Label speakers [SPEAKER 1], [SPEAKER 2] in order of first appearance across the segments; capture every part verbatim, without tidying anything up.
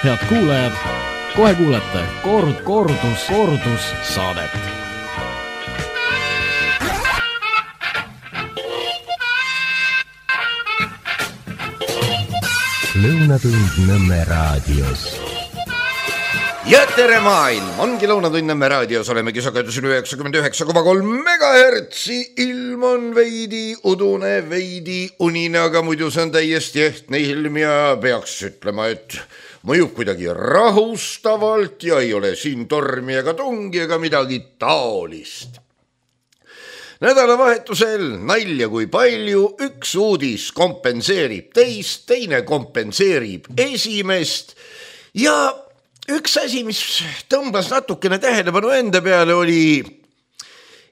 [SPEAKER 1] Head kuulajad, kohe kuulete kord, kordus, kordus saadet.
[SPEAKER 2] Lõunatund Nõmme raadios.
[SPEAKER 3] Ja tere maailm, ongi Lõunatund Nõmme raadios, oleme kisakajatusin üheksakümmend üheksa koma kolm megahertsi, ilm on veidi udune, veidi unine, aga muidu see on täiesti ehtne ilm ja peaks ütlema, et mõjub kuidagi rahustavalt ja ei ole siin tormi ega tungi ega midagi taolist. Nädalavahetusel nalja kui palju, üks uudis kompenseerib teist, teine kompenseerib esimest ja üks asi, mis tõmbas natukene tähelepanu enda peale, oli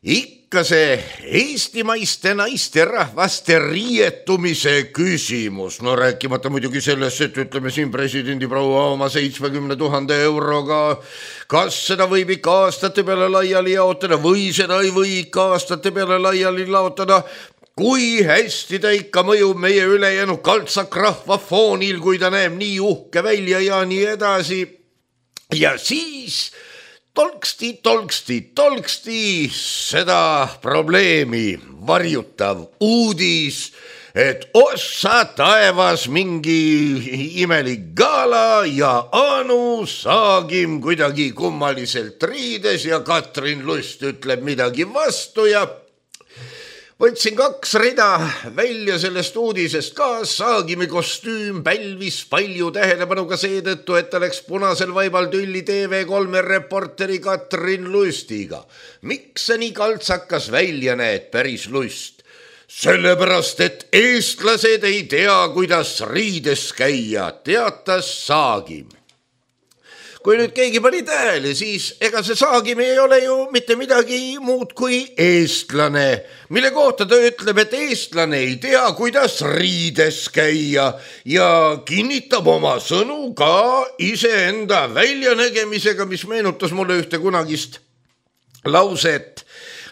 [SPEAKER 3] ikka see eestimaiste naiste rahvaste riietumise küsimus. No rääkimata muidugi sellest, et ütleme siin presidendi proua oma seitsmekümne tuhande euroga, kas seda võib ikka aastate peale laiali jaotada või seda ei või ikka aastate peale laiali laotada, kui hästi ta ikka mõjub meie ülejäänud kaltsak rahva foonil, kui ta näeb nii uhke välja ja nii edasi. Ja siis tolksti, tolksti, tolksti seda probleemi varjutav uudis, et ossa taevas mingi imelik gala ja Anu Saagim kuidagi kummaliselt riides ja Katrin Lust ütleb midagi vastu ja võtsin kaks rida välja sellest uudisest ka. Saagimi kostüüm pälvis palju tähelepanu ka seetõttu, et ta läks punasel vaibal tülli T V kolme reporteri Katrin Lustiga. Miks see nii kaltsakas välja näed, päris Lust? Sellepärast, et eestlased ei tea, kuidas riides käia, teatas Saagim. Kui nüüd keegi pani tähele, siis ega see Saagim ei ole ju mitte midagi muud kui eestlane, mille kohta ta ütleb, et eestlane ei tea, kuidas riides käia ja kinnitab oma sõnu ka iseenda väljanägemisega, mis meenutas mulle ühte kunagist lauset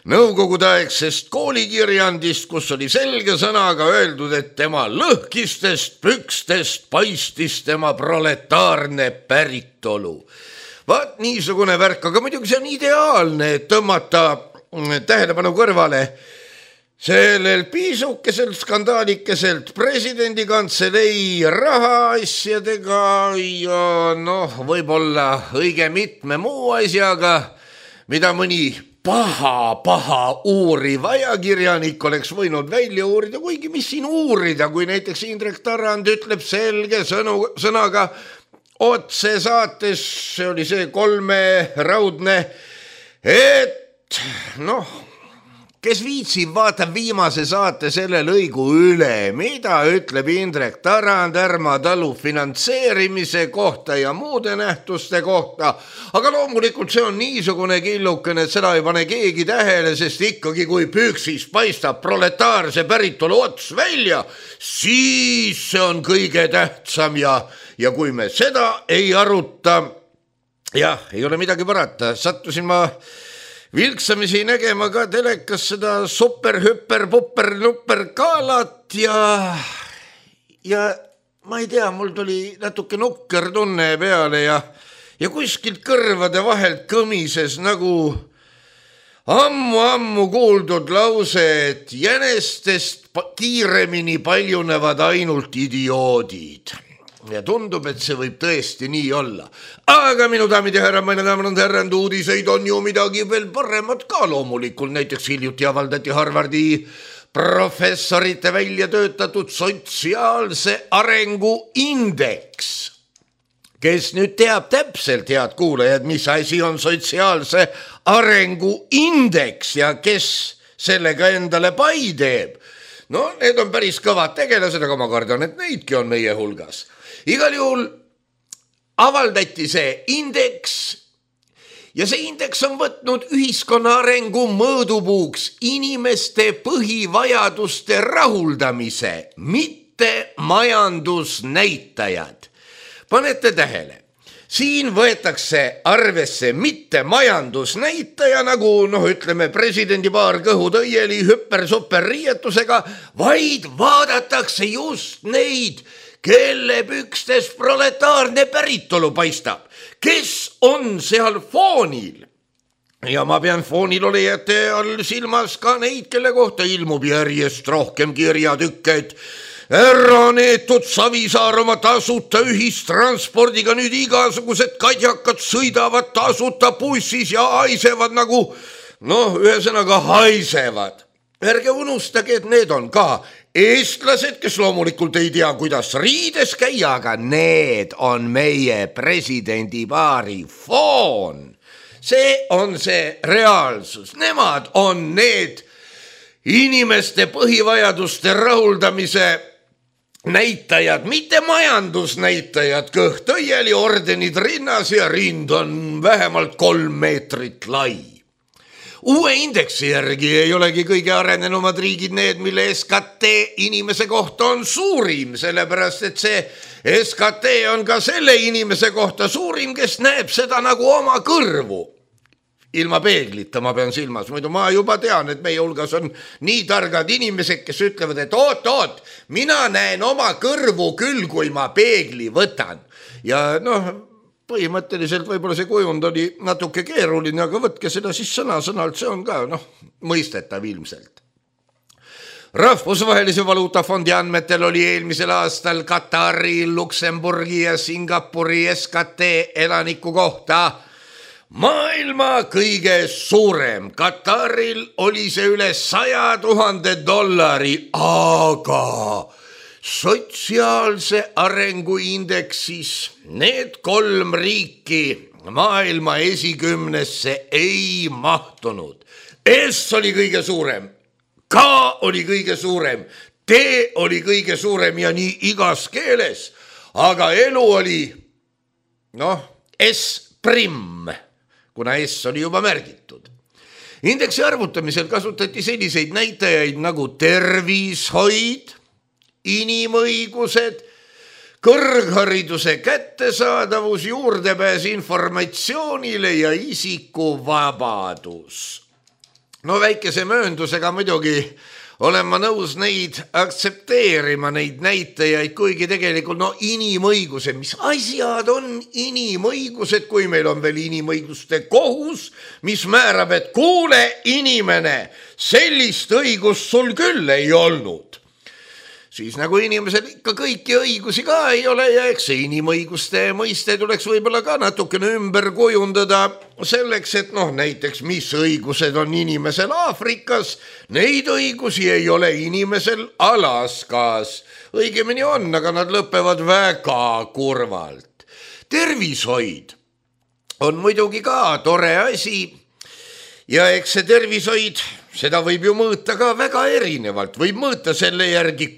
[SPEAKER 3] nõukogudeaegsest koolikirjandist, kus oli selge sõnaga öeldud, et tema lõhkistest pükstest paistis tema proletaarne päritolu. Vaat niisugune värk, aga muidugi see on ideaalne, et tõmmata tähelepanu kõrvale sellel piisukeselt skandaalikeselt presidendi kantselei rahaasjadega ja noh, võib-olla õige mitme muu asjaga, mida mõni paha, paha uuriv ajakirjanik oleks võinud välja uurida, kuigi mis siin uurida, kui näiteks Indrek Tarand ütleb selge sõnu, sõnaga otse saates, see oli see kolme raudne, et noh, kes viitsib, vaatab viimase saate selle lõigu üle, mida ütleb Indrek Tarand Ärma talu finantseerimise kohta ja muude nähtuste kohta. Aga loomulikult see on niisugune killukene, et seda ei pane keegi tähele, sest ikkagi kui püksis paistab proletaarse päritolu ots välja, siis see on kõige tähtsam ja, ja kui me seda ei aruta, jah, ei ole midagi parata, sattusin ma vilksamisi nägema ka telekas seda super, hüper, pupper, nupper kaalat ja, ja ma ei tea, mul tuli natuke nukker tunne peale ja, ja kuskilt kõrvade vahelt kõmises nagu ammu-ammu kuuldud lause, et jänestest kiiremini paljunevad ainult idioodid. Ja tundub, et see võib tõesti nii olla. Aga minu daamid ja härra, meine daamid ja härrand, uudiseid on ju midagi veel paremat ka loomulikult. Näiteks hiljuti avaldati Harvardi professorite välja töötatud sotsiaalse arengu indeks. Kes nüüd teab täpselt, head kuulajad, mis asi on sotsiaalse arengu indeks ja kes sellega endale pai teeb? No, need on päris kõvad tegelased, aga ma kardan, et neidki on meie hulgas. Igal juhul avaldati see indeks ja see indeks on võtnud ühiskonna arengu mõõdupuuks inimeste põhivajaduste rahuldamise, mitte majandusnäitajad. Panete tähele, siin võetakse arvesse mitte majandusnäitaja, nagu noh, ütleme presidendi paar kõhutõieli hüper-super riietusega, vaid vaadatakse just neid kelle pükstes proletaarne päritolu paistab, kes on seal foonil. Ja ma pean foonil olijate all silmas ka neid, kelle kohta ilmub järjest rohkem kirjatükke, et ära neetud Savisaar oma tasuta ühistranspordiga, nüüd igasugused kadjakad sõidavad tasuta bussis ja haisevad nagu, noh, ühesõnaga haisevad. Ärge unustage, et need on ka eestlased, kes loomulikult ei tea, kuidas riides käia, aga need on meie presidendipaari foon. See on see reaalsus. Nemad on need inimeste põhivajaduste rahuldamise näitajad, mitte majandusnäitajad, kõht õieli, ordenid rinnas ja rind on vähemalt kolm meetrit lai. Uue indeksi järgi ei olegi kõige arenenumad riigid need, mille S K T inimese kohta on suurim, sellepärast et see S K T on ka selle inimese kohta suurim, kes näeb seda nagu oma kõrvu. Ilma peeglita ma pean silmas, muidu ma juba tean, et meie hulgas on nii targad inimesed, kes ütlevad, et oot, oot, mina näen oma kõrvu küll, kui ma peegli võtan. Ja noh, põhimõtteliselt võib-olla see kujund oli natuke keeruline, aga võtke seda siis sõna-sõnalt, see on ka noh, mõistetav ilmselt. Rahvusvahelise valuutafondi andmetel oli eelmisel aastal Katari, Luksemburgi ja Singapuri S K T elaniku kohta maailma kõige suurem. Kataril oli see üle saja tuhande dollari, aga sotsiaalse arengu indeksis need kolm riiki maailma esikümnesse ei mahtunud. S oli kõige suurem, K oli kõige suurem, T oli kõige suurem ja nii igas keeles, aga elu oli noh, S prim, kuna S oli juba märgitud. Indeksi arvutamisel kasutati selliseid näitajaid nagu tervishoid, inimõigused, kõrghariduse kättesaadavus, juurdepääs informatsioonile ja isikuvabadus. No väikese mööndusega muidugi olen ma nõus neid aktsepteerima, neid näitajaid, kuigi tegelikult no inimõigused, mis asjad on inimõigused, kui meil on veel inimõiguste kohus, mis määrab, et kuule inimene, sellist õigust sul küll ei olnud. Siis nagu inimesel ikka kõiki õigusi ka ei ole ja eks see inimõiguste mõiste tuleks võib-olla ka natukene ümber kujundada selleks, et noh, näiteks mis õigused on inimesel Aafrikas, neid õigusi ei ole inimesel Alaskas. Õigemini on, aga nad lõpevad väga kurvalt. Tervishoid on muidugi ka tore asi ja eks see tervishoid, seda võib ju mõõta ka väga erinevalt, võib mõõta selle järgi,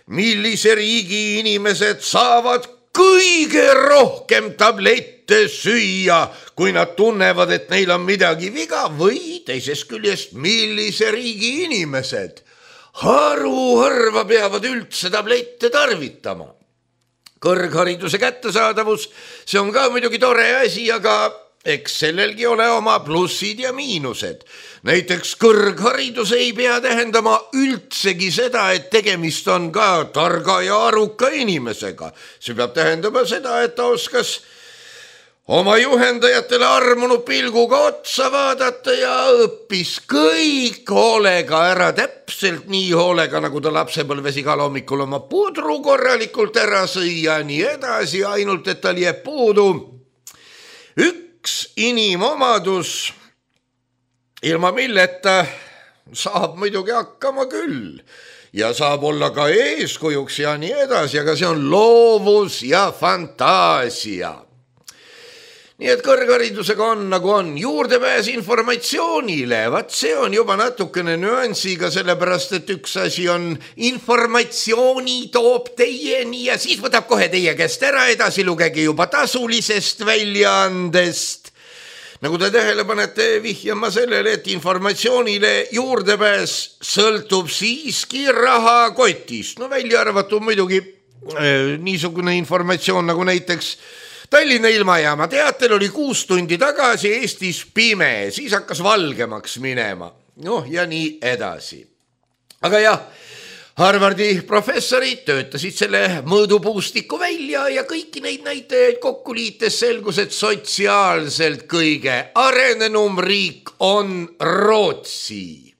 [SPEAKER 3] millise riigi inimesed saavad kõige rohkem tablette süüa, kui nad tunnevad, et neil on midagi viga, või teisest küljest, millise riigi inimesed haruharva peavad üldse tablette tarvitama. Kõrghariduse kättesaadavus, see on ka muidugi tore asi, aga eks sellelgi ole oma plussid ja miinused. Näiteks kõrgharidus ei pea tähendama üldsegi seda, et tegemist on ka targa ja aruka inimesega. See peab tähendama seda, et ta oskas oma juhendajatele armunud pilguga otsa vaadata ja õppis kõik hoolega ära, täpselt nii hoolega, nagu ta lapsepõlves igal hommikul oma pudru korralikult ära sõi ja nii edasi, ainult et tal jääb puudu üks inimomadus, ilma milleta saab muidugi hakkama küll ja saab olla ka eeskujuks ja nii edasi, aga see on loovus ja fantaasia. Nii et kõrgharidusega on nagu on, juurdepääs informatsioonile, vaat see on juba natukene nüansiga, sellepärast et üks asi on informatsiooni toob teieni ja siis võtab kohe teie käest ära, edasi lugege juba tasulisest väljaandest. Nagu te tähele panete, vihjama sellele, et informatsioonile juurdepääs sõltub siiski rahakotist. No välja arvatud muidugi äh, niisugune informatsioon nagu näiteks Tallinna ilmajaama teatel oli kuus tundi tagasi Eestis pime, siis hakkas valgemaks minema. Noh ja nii edasi. Aga jah, Harvardi professorid töötasid selle mõõdupuustiku välja ja kõiki neid näitajaid kokku liites selgus, et sotsiaalselt kõige arenenum riik on Rootsi.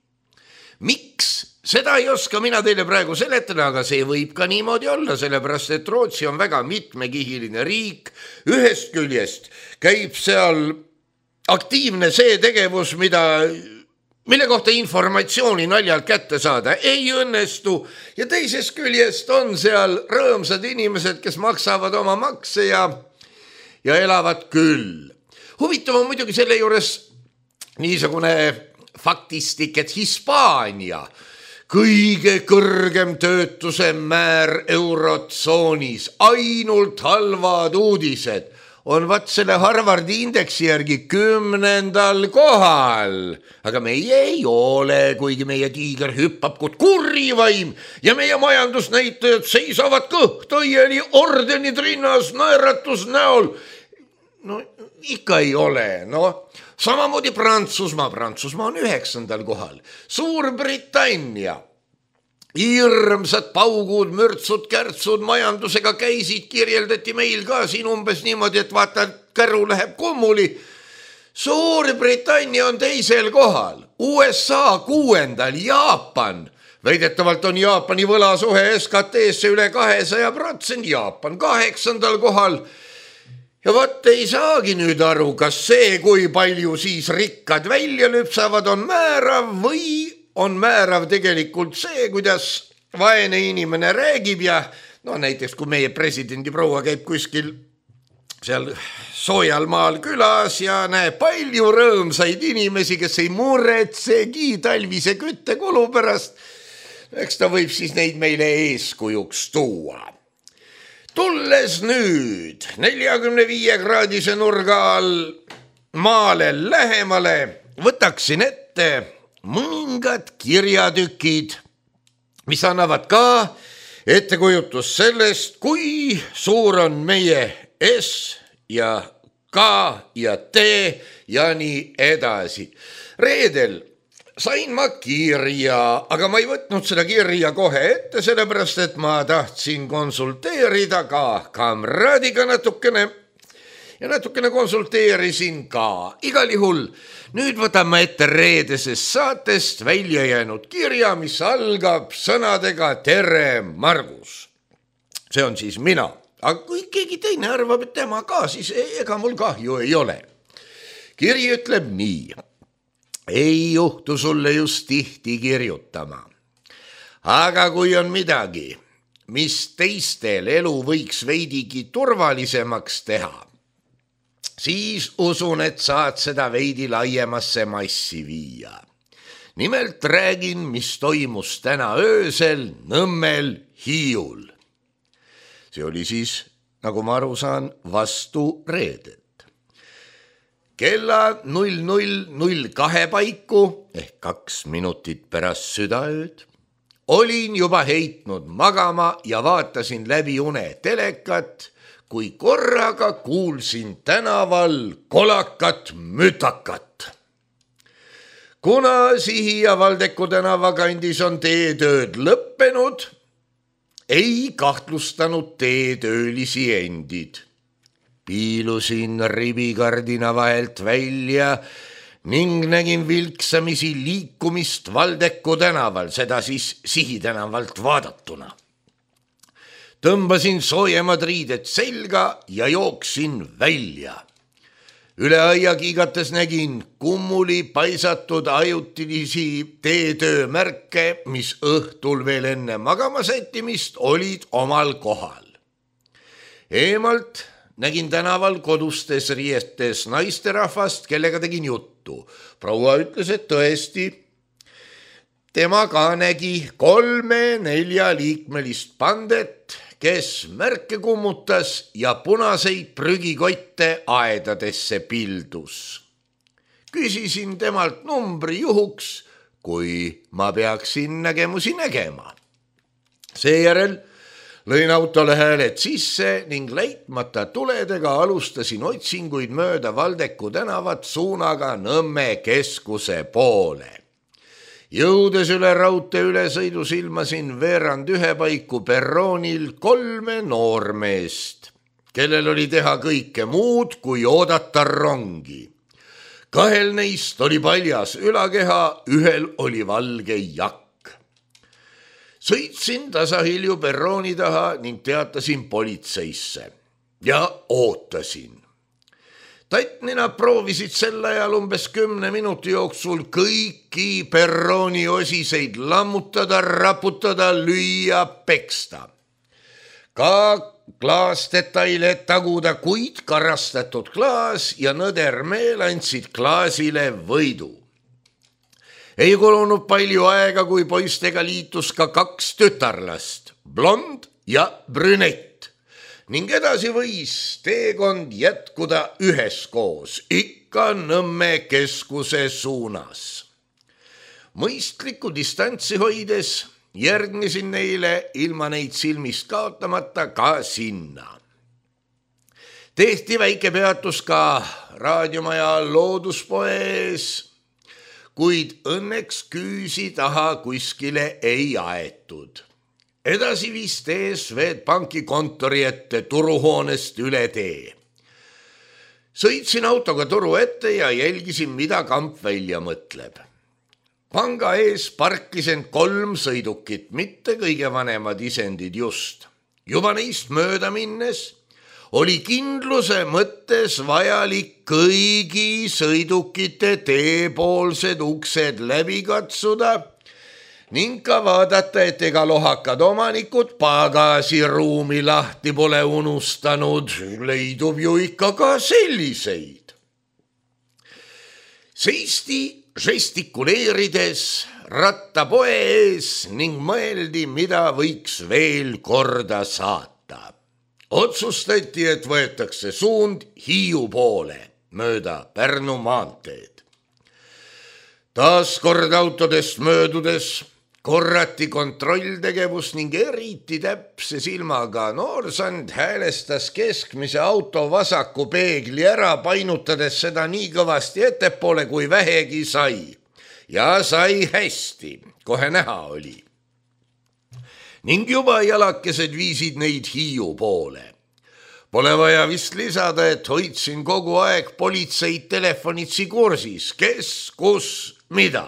[SPEAKER 3] Miks? Seda ei oska mina teile praegu seletada, aga see võib ka niimoodi olla, sellepärast et Rootsi on väga mitmekihiline riik. Ühest küljest käib seal aktiivne see tegevus, mida... mille kohta informatsiooni naljalt kätte saada ei õnnestu ja teisest küljest on seal rõõmsad inimesed, kes maksavad oma makse ja, ja elavad küll. Huvitav on muidugi selle juures niisugune faktistik, et Hispaania kõige kõrgem töötuse määr eurotsoonis, ainult halvad uudised on vat selle Harvardi indeksi järgi kümnendal kohal. Aga meie ei ole, kuigi meie tiiger hüppab kui kurrivaim ja meie majandusnäitajad seisavad kõhtõieli ordenid rinnas naeratus näol. No ikka ei ole, no. Samamoodi Prantsusmaa, Prantsusmaa on üheksandal kohal. Suurbritannia. Hirmsad paugud, mürtsud, kärtsud majandusega käisid, kirjeldati meil ka siin umbes niimoodi, et vaata, käru läheb kummuli. Suurbritannia on teisel kohal, U S A kuuendal, Jaapan. Väidetavalt on Jaapani võlasuhe S K T-sse üle kahesaja protsendi, Jaapan kaheksandal kohal. Ja vaat ei saagi nüüd aru, kas see, kui palju siis rikkad välja lüpsavad, on määrav või on määrav tegelikult see, kuidas vaene inimene räägib ja no näiteks kui meie presidendi proua käib kuskil seal soojal maal külas ja näeb palju rõõmsaid inimesi, kes ei muretsegi talvise küttekulu pärast, eks ta võib siis neid meile eeskujuks tuua. Tulles nüüd neljakümne viie kraadise nurga all maale lähemale, võtaksin ette mõningad kirjatükid, mis annavad ka ettekujutus sellest, kui suur on meie S ja K ja T ja nii edasi. Reedel sain ma kirja, aga ma ei võtnud seda kirja kohe ette, sellepärast et ma tahtsin konsulteerida ka kamraadiga natukene ja natukene konsulteerisin ka. Igal juhul nüüd võtame ette reedesest saatest välja jäänud kirja, mis algab sõnadega tere, Margus. See on siis mina. Aga kui keegi teine arvab, et tema ka, siis ega mul kahju ei ole. Kiri ütleb nii. Ei juhtu sulle just tihti kirjutama. Aga kui on midagi, mis teistel elu võiks veidigi turvalisemaks teha, siis usun, et saad seda veidi laiemasse massi viia. Nimelt räägin, mis toimus täna öösel Nõmmel Hiiul. See oli siis, nagu ma aru saan, vastu reedet. Kella null null null kahe paiku ehk kaks minutit pärast südaööd olin juba heitnud magama ja vaatasin läbi une telekat, kui korraga kuulsin tänaval kolakat mütakat. Kuna Sihi ja Valdeku tänava kandis on teetööd lõppenud, ei kahtlustanud teetöölisi endid. Piilusin ribikardina vahelt välja ning nägin vilksamisi liikumist Valdeku tänaval, seda siis Sihi tänavalt vaadatuna. Tõmbasin soojemad riided selga ja jooksin välja. Üle aia kiigates nägin kummuli paisatud ajutilisi teetöömärke, mis õhtul veel enne magama sättimist olid omal kohal. Eemalt nägin tänaval kodustes riietes naisterahvast, kellega tegin juttu. Proua ütles, et tõesti, tema ka nägi kolme nelja liikmelist pandet, kes märke kummutas ja punaseid prügikotte aedadesse pildus. Küsisin temalt numbri juhuks, kui ma peaksin nägemusi nägema. Seejärel lõin autole hääled sisse ning leitmata tuledega alustasin otsinguid mööda Valdeku tänavat suunaga Nõmme keskuse poole. Jõudes üle raudtee ülesõidus ilmasin veerand ühe paiku perroonil kolme noormeest, kellel oli teha kõike muud kui oodata rongi. Kahel neist oli paljas ülakeha, ühel oli valge jakk. Sõitsin tasahilju perrooni taha ning teatasin politseisse ja ootasin. Tatnina proovisid sel ajal umbes kümne minuti jooksul kõiki perrooni osiseid lammutada, raputada, lüüa, peksta. Ka klaasdetaile taguda, kuid karastatud klaas ja nõder meel andsid klaasile võidu. Ei kulunud palju aega, kui poistega liitus ka kaks tütarlast, blond ja brünett. Ning edasi võis teekond jätkuda üheskoos, ikka Nõmme keskuse suunas. Mõistliku distantsi hoides järgnesin neile ilma neid silmist kaotamata ka sinna. Tehti väike peatus ka raadiomaja looduspoes, kuid õnneks küüsi taha kuskile ei aetud. Edasi viis tee Swedbanki kontori ette turuhoonest üle tee. Sõitsin autoga turu ette ja jälgisin, mida kamp välja mõtleb. Panga ees parkisen kolm sõidukit, mitte kõige vanemad isendid just. Juba neist mööda minnes oli kindluse mõttes vajalik kõigi sõidukite teepoolsed uksed läbi katsuda ning ka vaadata, et ega lohakad omanikud pagasiruumi lahti pole unustanud, leidub ju ikka ka selliseid. Seisti žestikuleerides rattapoe ees ning mõeldi, mida võiks veel korda saata. Otsustati, et võetakse suund Hiiu poole mööda Pärnu maanteed. Taas kord autodest möödudes korrati kontrolltegevus ning eriti täpse silmaga noorsand häälestas keskmise auto vasaku peegli ära, painutades seda nii kõvasti ettepoole, kui vähegi sai. Ja sai hästi, kohe näha oli. Ning juba jalakesed viisid neid Hiiu poole. Pole vaja vist lisada, et hoidsin kogu aeg politseid telefonitsi kursis, kes, kus, mida.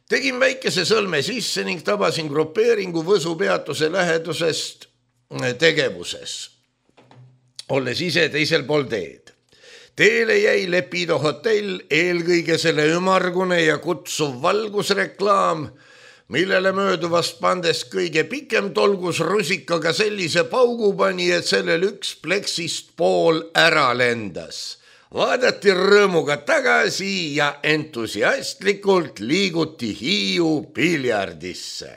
[SPEAKER 3] Tegin väikese sõlme sisse ning tabasin grupeeringu Võsu peatuse lähedusest tegevuses, olles ise teisel pool teed. Teele jäi Lepido hotell, eelkõige selle ümargune ja kutsuv valgusreklaam, millele mööduvast pandest kõige pikem tolgus rusikaga sellise paugu pani, et sellel üks pleksist pool ära lendas. Vaadati rõõmuga tagasi ja entusiastlikult liiguti Hiiu piljardisse.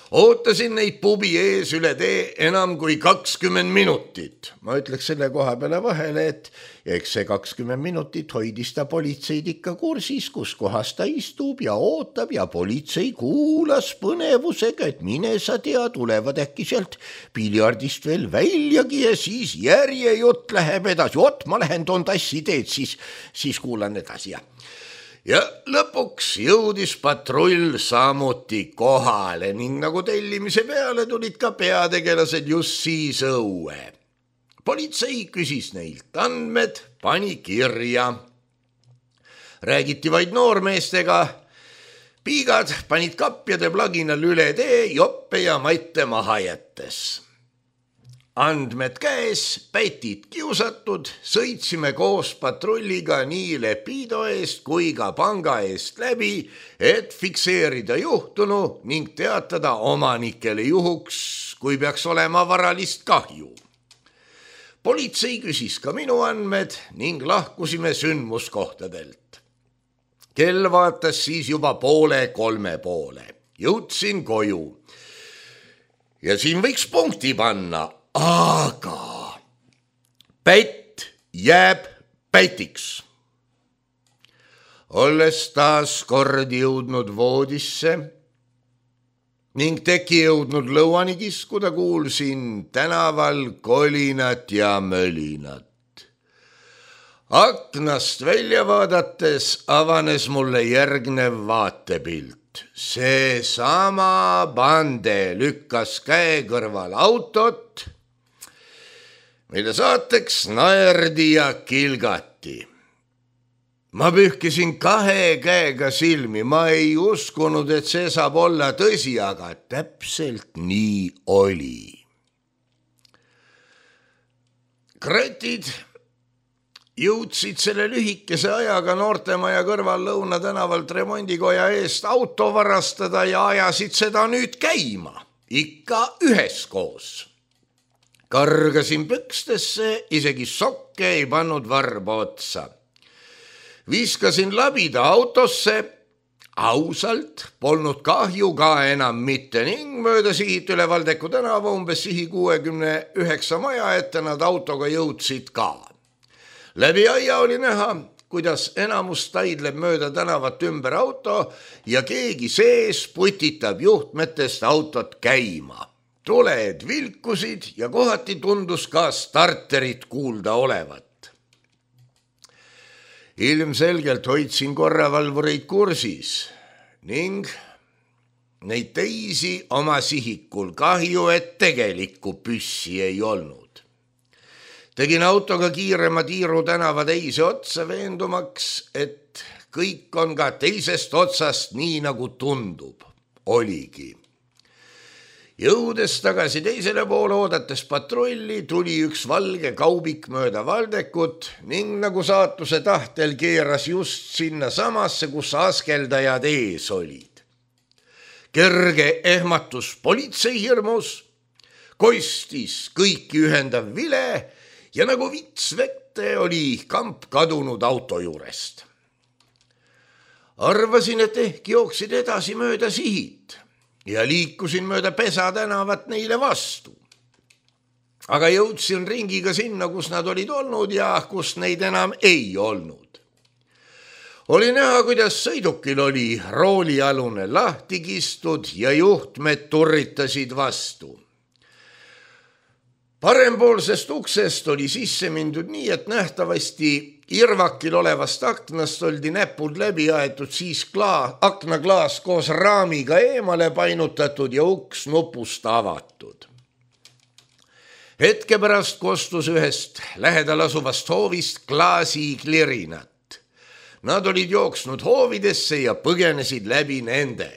[SPEAKER 3] Ootasin neid pubi ees üle tee enam kui kakskümmend minutit. Ma ütleks selle koha peale vahele, et eks see kakskümmend minutit hoidis ta politseid ikka kursis, kus kohas ta istub ja ootab ja politsei kuulas põnevusega, et mine sa tea, tulevad äkki sealt piljardist veel väljagi ja siis järjejutt läheb edasi. Ot, ma lähen toon tassi teed, siis, siis kuulan edasi ja... Ja lõpuks jõudis patrull samuti kohale ning nagu tellimise peale tulid ka peategelased just siis õue. Politsei küsis neilt andmed, pani kirja. Räägiti vaid noormeestega. Piigad panid kapjade plaginal üle tee, joppe ja matte maha jättes. Andmed käes, pätid kiusatud, sõitsime koos patrulliga nii Lepido eest kui ka panga eest läbi, et fikseerida juhtunu ning teatada omanikele juhuks, kui peaks olema varalist kahju. Politsei küsis ka minu andmed ning lahkusime sündmuskohtadelt. Kell vaatas siis juba poole kolme poole. Jõudsin koju. Ja siin võiks punkti panna. Aga pätt jääb pätiks. Olles taas kord jõudnud voodisse ning teki jõudnud lõuani kiskuda, kuulsin tänaval kolinat ja mölinat. Aknast välja vaadates avanes mulle järgnev vaatepilt. See sama bande lükkas käe kõrval autot, mille saateks naerdi ja kilgati. Ma pühkisin kahe käega silmi, ma ei uskunud, et see saab olla tõsi, aga täpselt nii oli. Kratid jõudsid selle lühikese ajaga Noortemaja kõrval Lõuna tänavalt remondikoja eest auto varastada ja ajasid seda nüüd käima, ikka üheskoos. Kargasin pükstesse, isegi sokke ei pannud varba otsa. Viskasin labida autosse, ausalt polnud kahju ka enam mitte ning mööda sihit üle Valdeku tänava umbes sihi kuuekümne üheksa maja ette nad autoga jõudsid ka. Läbi aia oli näha, kuidas enamus taidleb mööda tänavat ümber auto ja keegi sees putitab juhtmetest autot käima. Tuled vilkusid ja kohati tundus ka starterit kuulda olevat. Ilmselgelt hoidsin korravalvureid kursis ning neid teisi oma sihikul, kahju, et tegelikku püssi ei olnud. Tegin autoga kiirema tiiru tänava teise otsa veendumaks, et kõik on ka teisest otsast nii nagu tundub. Oligi. Jõudes tagasi teisele poole oodates patrulli, tuli üks valge kaubik mööda Valdekut ning nagu saatuse tahtel keeras just sinna samasse, kus askeldajad ees olid. Kerge ehmatus politsei hirmus, kostis kõiki ühendav vile ja nagu vits vette oli kamp kadunud auto juurest. Arvasin, et ehk jooksid edasi mööda sihit ja liikusin mööda Pesa tänavat neile vastu. Aga jõudsin ringiga sinna, kus nad olid olnud ja kus neid enam ei olnud. Oli näha, kuidas sõidukil oli roolialune lahti kistud ja juhtmed turritasid vastu. Parempoolsest uksest oli sisse mindud nii, et nähtavasti irvakil olevast aknast oldi näpud läbi aetud, siis klaas, aknaklaas koos raamiga eemale painutatud ja uks nupust avatud. Hetke pärast kostus ühest lähedal asuvast hoovist klaasi klirinat. Nad olid jooksnud hoovidesse ja põgenesid läbi nende.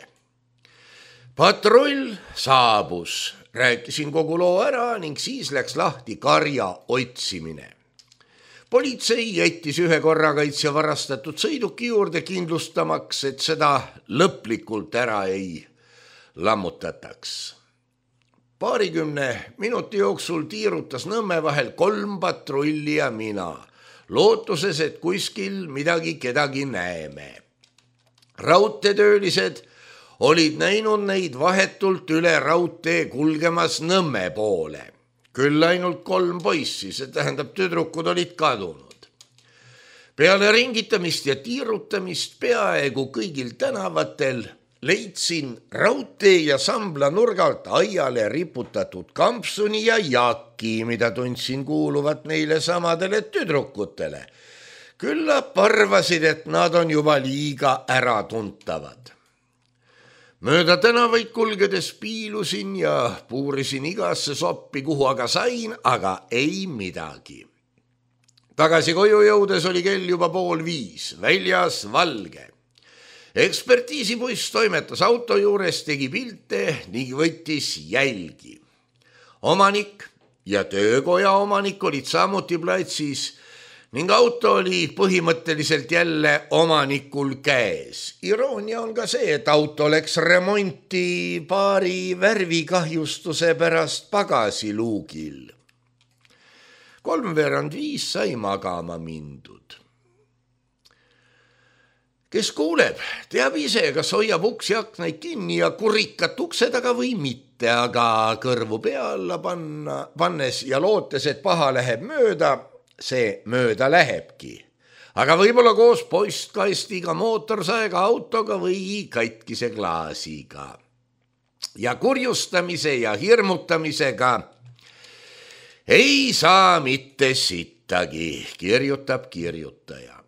[SPEAKER 3] Patrull saabus. Rääkisin kogu loo ära ning siis läks lahti karja otsimine. Politsei jättis ühe korrakaitsja varastatud sõiduki juurde kindlustamaks, et seda lõplikult ära ei lammutataks. Paarikümne minuti jooksul tiirutas Nõmme vahel kolm patrulli ja mina, lootuses, et kuskil midagi kedagi näeme. Raudteetöölised olid näinud neid vahetult üle raudtee kulgemas Nõmme poole. Küll ainult kolm poissi, see tähendab tüdrukud olid kadunud. Peale ringitamist ja tiirutamist peaaegu kõigil tänavatel leidsin raudtee ja sambla nurgalt aiale riputatud kampsuni ja jaki, mida tundsin kuuluvat neile samadele tüdrukutele. Küllap arvasid, et nad on juba liiga äratuntavad. Mööda tänavaid kulgedes piilusin ja puurisin igasse soppi, kuhu aga sain, aga ei midagi. Tagasi koju jõudes oli kell juba pool viis, väljas valge. Ekspertiisibuss toimetas auto juures, tegi pilte ning võttis jälgi. Omanik ja töökoja omanik olid samuti platsis ning auto oli põhimõtteliselt jälle omanikul käes. Iroonia on ka see, et auto läks remonti paari värvikahjustuse pärast pagasiluugil. Kolmveerand viis sai magama mindud. Kes kuuleb, teab ise, kas hoiab uksi aknaid kinni ja kurikat ukse taga või mitte, aga kõrvu pea alla panna, pannes ja lootes, et paha läheb mööda, see mööda lähebki. Aga võib-olla koos postkastiga, mootorsaega, autoga või katkise klaasiga. Ja kurjustamise ja hirmutamisega ei saa mitte sitt. sittagi, kirjutab kirjutaja.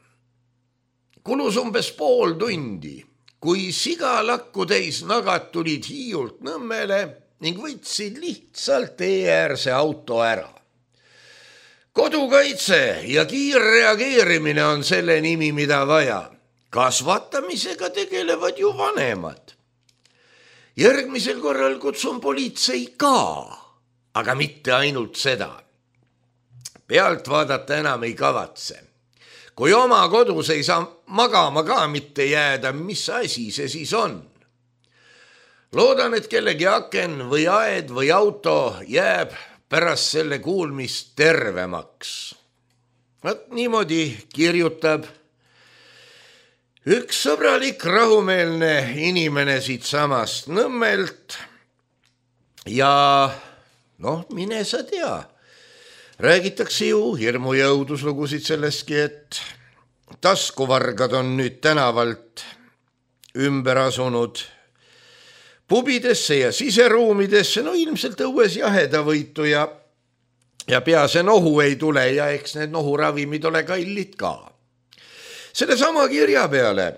[SPEAKER 3] Kulus umbes pool tundi, kui sigalakku täis nagad tulid Hiiult Nõmmele ning võtsid lihtsalt tee-äärse auto ära. Kodukaitse ja kiirreageerimine on selle nimi, mida vaja. Kasvatamisega tegelevad ju vanemad. Järgmisel korral kutsun politsei ka, aga mitte ainult seda. Pealt vaadata enam ei kavatse. Kui oma kodus ei saa magama ka mitte jääda, mis asi see siis on? Loodan, et kellegi aken või aed või auto jääb pärast selle kuulmist tervemaks. Vaat niimoodi kirjutab üks sõbralik rahumeelne inimene siit samast Nõmmelt ja noh, mine sa tea. Räägitakse ju hirmu ja õuduslugusid sellestki, et taskuvargad on nüüd tänavalt ümber asunud pubidesse ja siseruumidesse, no ilmselt õues jahedavõitu ja, ja pease nohu ei tule ja eks need nohuravimid ole kallid ka. Selle sama kirja peale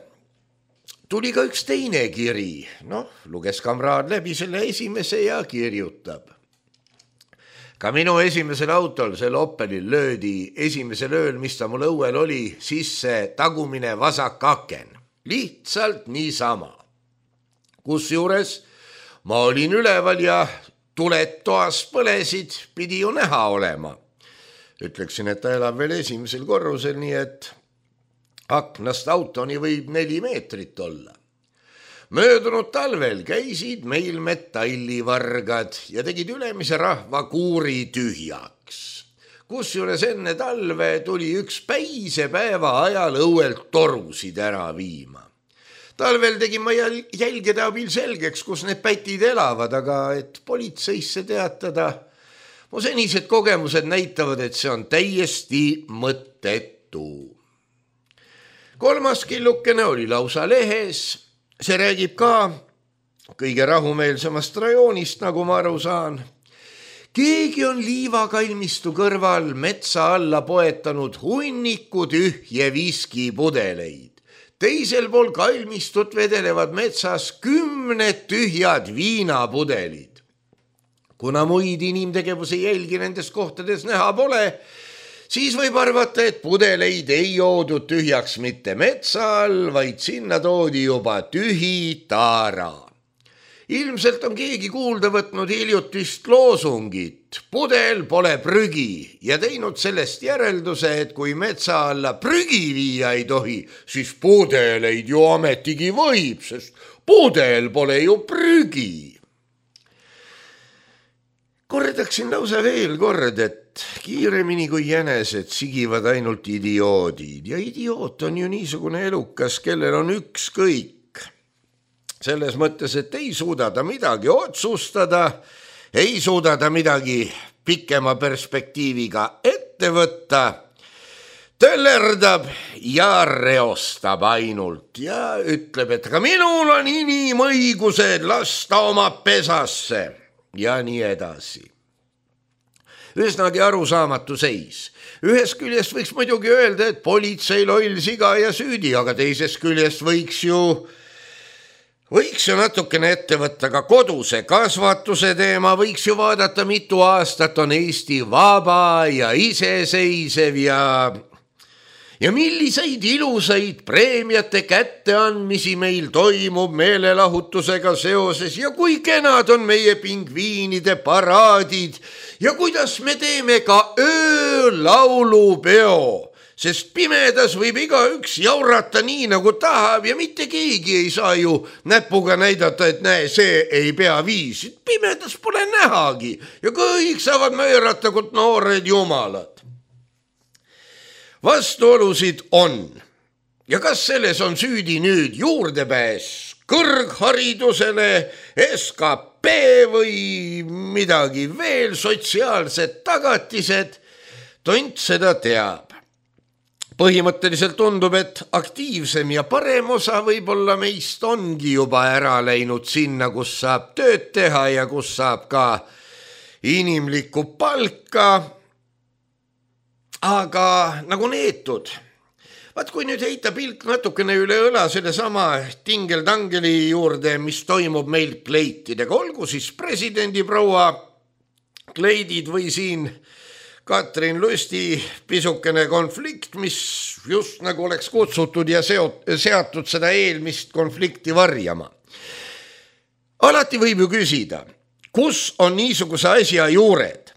[SPEAKER 3] tuli ka üks teine kiri, noh, luges kamraad läbi selle esimese ja kirjutab. Ka minu esimesel autol, selle Opelil, löödi esimesel ööl, mis ta mul õuel oli, sisse tagumine vasak aken. Lihtsalt niisama. Kusjuures ma olin üleval ja tuled toas põlesid, pidi ju näha olema. Ütleksin, et ta elab veel esimesel korrusel, nii et aknast autoni võib neli meetrit olla. Möödunud talvel käisid meil metallivargad ja tegid ülemise rahva kuuri tühjaks. Kusjuures enne talve tuli üks päisepäeva ajal õuelt torusid ära viima. Talvel tegin ma jälgede abil selgeks, kus need pätid elavad, aga et politseisse teatada, mu senised kogemused näitavad, et see on täiesti mõttetu. Kolmas killukene oli lausa lehes. See räägib ka kõige rahumeelsemast rajoonist, nagu ma aru saan. Keegi on liivakalmistu kõrval metsa alla poetanud hunniku tühje viskipudeleid. Teisel pool kalmistut vedelevad metsas kümned tühjad viinapudelid. Kuna muid inimtegevuse jälgi nendes kohtades näha pole, siis võib arvata, et pudeleid ei joodud tühjaks mitte metsa all, vaid sinna toodi juba tühi taara. Ilmselt on keegi kuulda võtnud hiljutist loosungit, pudel pole prügi ja teinud sellest järelduse, et kui metsa alla prügi viia ei tohi, siis pudeleid ju ametigi võib, sest pudel pole ju prügi. Kordaksin lausa veel kord, et kiiremini kui jänesed sigivad ainult idioodid ja idioot on ju niisugune elukas, kellel on ükskõik. Selles mõttes, et ei suuda ta midagi otsustada, ei suuda ta midagi pikema perspektiiviga ette võtta, töllerdab ja reostab ainult ja ütleb, et ka minul on inimõigused lasta oma pesasse ja nii edasi. Üsnagi arusaamatu seis. Ühest küljest võiks muidugi öelda, et politsei loll siga ja süüdi, aga teisest küljest võiks ju, võiks ju natukene ette võtta ka koduse kasvatuse teema, võiks ju vaadata, mitu aastat on Eesti vaba ja iseseisev ja, ja milliseid ilusaid preemiate kätteandmisi meil toimub meelelahutusega seoses ja kui kenad on meie pingviinide paraadid ja kuidas me teeme ka öölaulupeo, sest pimedas võib igaüks jaurata nii, nagu tahab ja mitte keegi ei saa ju näpuga näidata, et näe, see ei pea viisi. Pimedas pole nähagi ja kõik saavad möörata kui noored jumalad. Vastuolusid on ja kas selles on süüdi nüüd juurdepääs kõrgharidusele, S K P või midagi veel, sotsiaalsed tagatised, tont seda teab. Põhimõtteliselt tundub, et aktiivsem ja parem osa võib-olla meist ongi juba ära läinud sinna, kus saab tööd teha ja kus saab ka inimlikku palka. aga nagu neetud. Vaat kui nüüd heita pilk natukene üle õla selle sama tingeltangeli juurde, mis toimub meil kleitidega, olgu siis presidendi proua kleidid või siin Katrin Lusti pisukene konflikt, mis just nagu oleks kutsutud ja seot, seatud seda eelmist konflikti varjama. Alati võib ju küsida, kus on niisuguse asja juured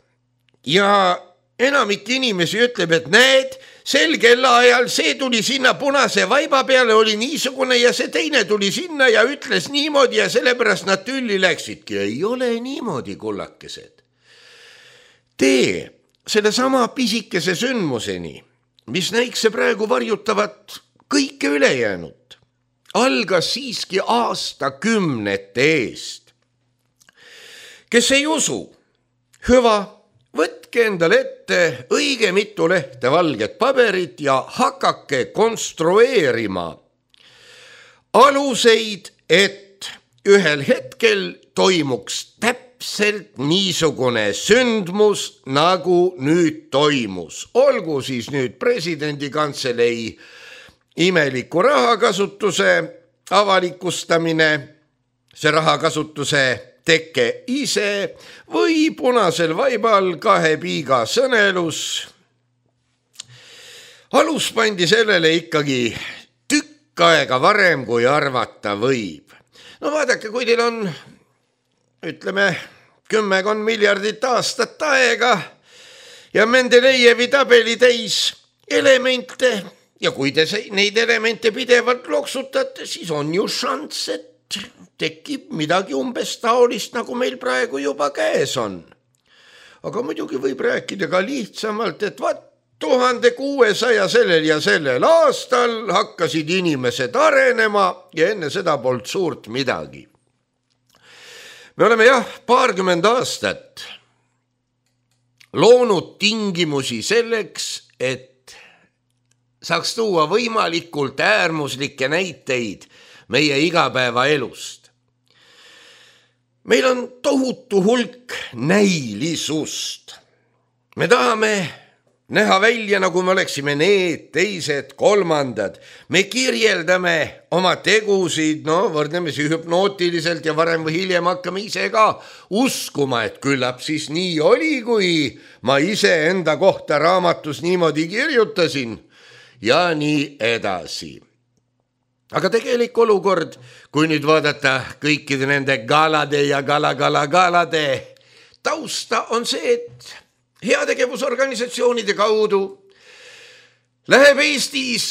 [SPEAKER 3] ja enamik inimesi ütleb, et näed, sel kellaajal see tuli sinna punase vaiba peale, oli niisugune ja see teine tuli sinna ja ütles niimoodi ja sellepärast nad tülli läksidki. Ei ole niimoodi, kullakesed. Tee selle sama pisikese sündmuseni, mis näikse praegu varjutavat kõike ülejäänud, algas siiski aastakümnete eest. Kes ei usu, hüva, võtke endale ette õige mitu lehte valget paberit ja hakake konstrueerima aluseid, et ühel hetkel toimuks täpselt niisugune sündmus, nagu nüüd toimus. Olgu siis nüüd presidendi kantselei imeliku rahakasutuse avalikustamine, see rahakasutuse teke ise või punasel vaibal kahe piiga sõnelus. Alus pandi sellele ikkagi tükk aega varem, kui arvata võib. No vaadake, kui teil on, ütleme, kümmekond miljardit aastat aega ja Mendelejevi tabeli täis elemente ja kui te neid elemente pidevalt loksutate, siis on ju šanss, et tekib midagi umbes taolist, nagu meil praegu juba käes on. Aga muidugi võib rääkida ka lihtsamalt, et vaat tuhande kuuesaja sellel ja sellel aastal hakkasid inimesed arenema ja enne seda polnud suurt midagi. Me oleme jah paarkümmend aastat loonud tingimusi selleks, et saaks tuua võimalikult äärmuslikke näiteid meie igapäevaelust. Meil on tohutu hulk näilisust. Me tahame näha välja, nagu me oleksime need, teised, kolmandad. Me kirjeldame oma tegusid, no võrdlemisi hüpnootiliselt ja varem või hiljem hakkame ise ka uskuma, et küllap siis nii oli, kui ma ise enda kohta raamatus niimoodi kirjutasin ja nii edasi. Aga tegelik olukord, kui nüüd vaadata kõikide nende galade ja gala-gala-galade tausta, on see, et heategevusorganisatsioonide kaudu läheb Eestis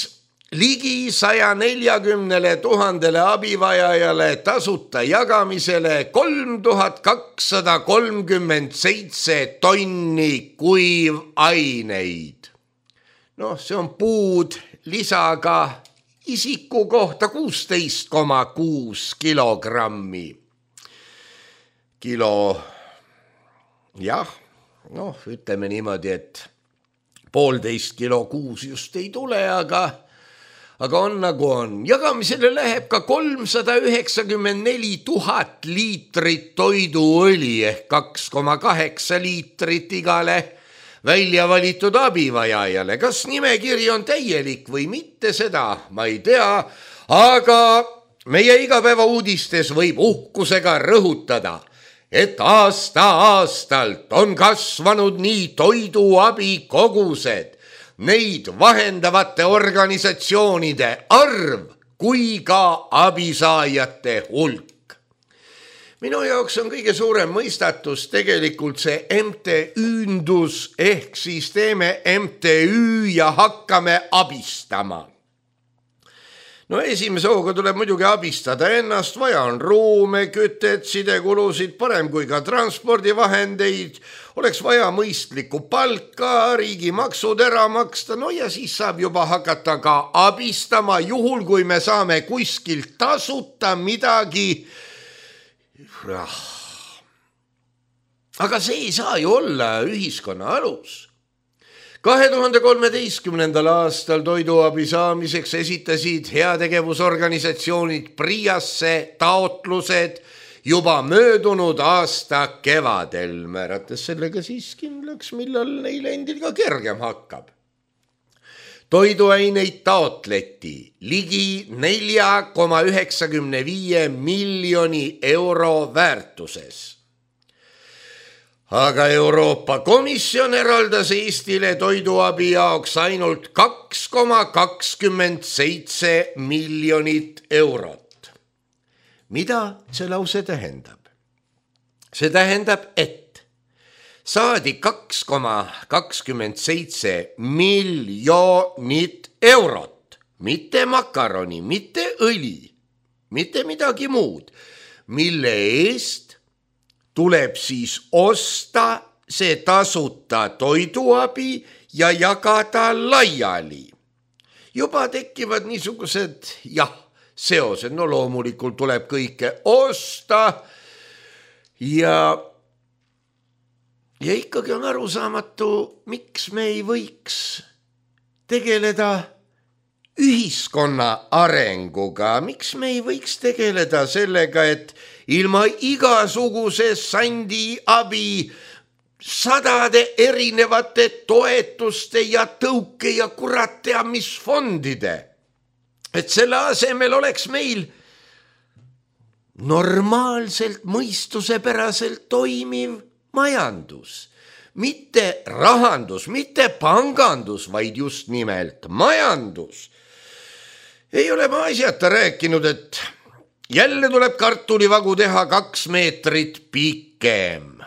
[SPEAKER 3] ligi saja neljakümnele tuhandele abivajajale tasuta jagamisele kolm tuhat kakssada kolmkümmend seitse tonni kuivaineid. Noh, see on puud lisaga isiku kohta kuusteist koma kuus kilogrammi. Kilo, jah, noh, ütleme niimoodi, et poolteist kilo kuus just ei tule, aga, aga on nagu on. Jagamisele läheb ka kolmsada üheksakümmend neli tuhat liitrit toiduõli ehk kaks koma kaheksa liitrit igale välja valitud abivajajale. Kas nimekiri on täielik või mitte, seda ma ei tea, aga meie igapäeva uudistes võib uhkusega rõhutada, et aasta-aastalt on kasvanud nii toiduabi kogused, neid vahendavate organisatsioonide arv kui ka abisaajate hulk. Minu jaoks on kõige suurem mõistatus tegelikult see M T Ündus ehk siis teeme M T Ü ja hakkame abistama. No esimese hooga tuleb muidugi abistada ennast, vaja on ruume, kütet, sidekulusid, parem kui ka transpordivahendeid, oleks vaja mõistlikku palka, riigi maksud ära maksta, no ja siis saab juba hakata ka abistama, juhul kui me saame kuskilt tasuta midagi. Aga see ei saa ju olla ühiskonna alus. kahe tuhande kolmeteistkümnendal aastal toiduabi saamiseks esitasid heategevusorganisatsioonid Priasse taotlused juba möödunud aasta kevadel, määrates sellega siis kindlaks, millal neil endil ka kergem hakkab. toiduaineid taotleti ligi nelja koma üheksakümne viie miljoni euro väärtuses. Aga Euroopa Komisjon eraldas Eestile toiduabi jaoks ainult kaks koma kakskümmend seitse miljonit eurot. Mida see lause tähendab? See tähendab, et saadi kaks koma kakskümmend seitse miljonit eurot, mitte makaroni, mitte õli, mitte midagi muud, mille eest tuleb siis osta see tasuta toiduabi ja jagada laiali. Juba tekivad niisugused, jah, seosed, no loomulikult tuleb kõike osta ja, ja ikkagi on arusaamatu, miks me ei võiks tegeleda ühiskonna arenguga, miks me ei võiks tegeleda sellega, et ilma igasuguse sandi abi sadade erinevate toetuste ja tõuke ja kurat tea mis fondide, et selle asemel oleks meil normaalselt, mõistusepäraselt toimiv majandus. Mitte rahandus, mitte pangandus, vaid just nimelt majandus. Ei ole ma asjata rääkinud, et jälle tuleb kartulivagu teha kaks meetrit pikem,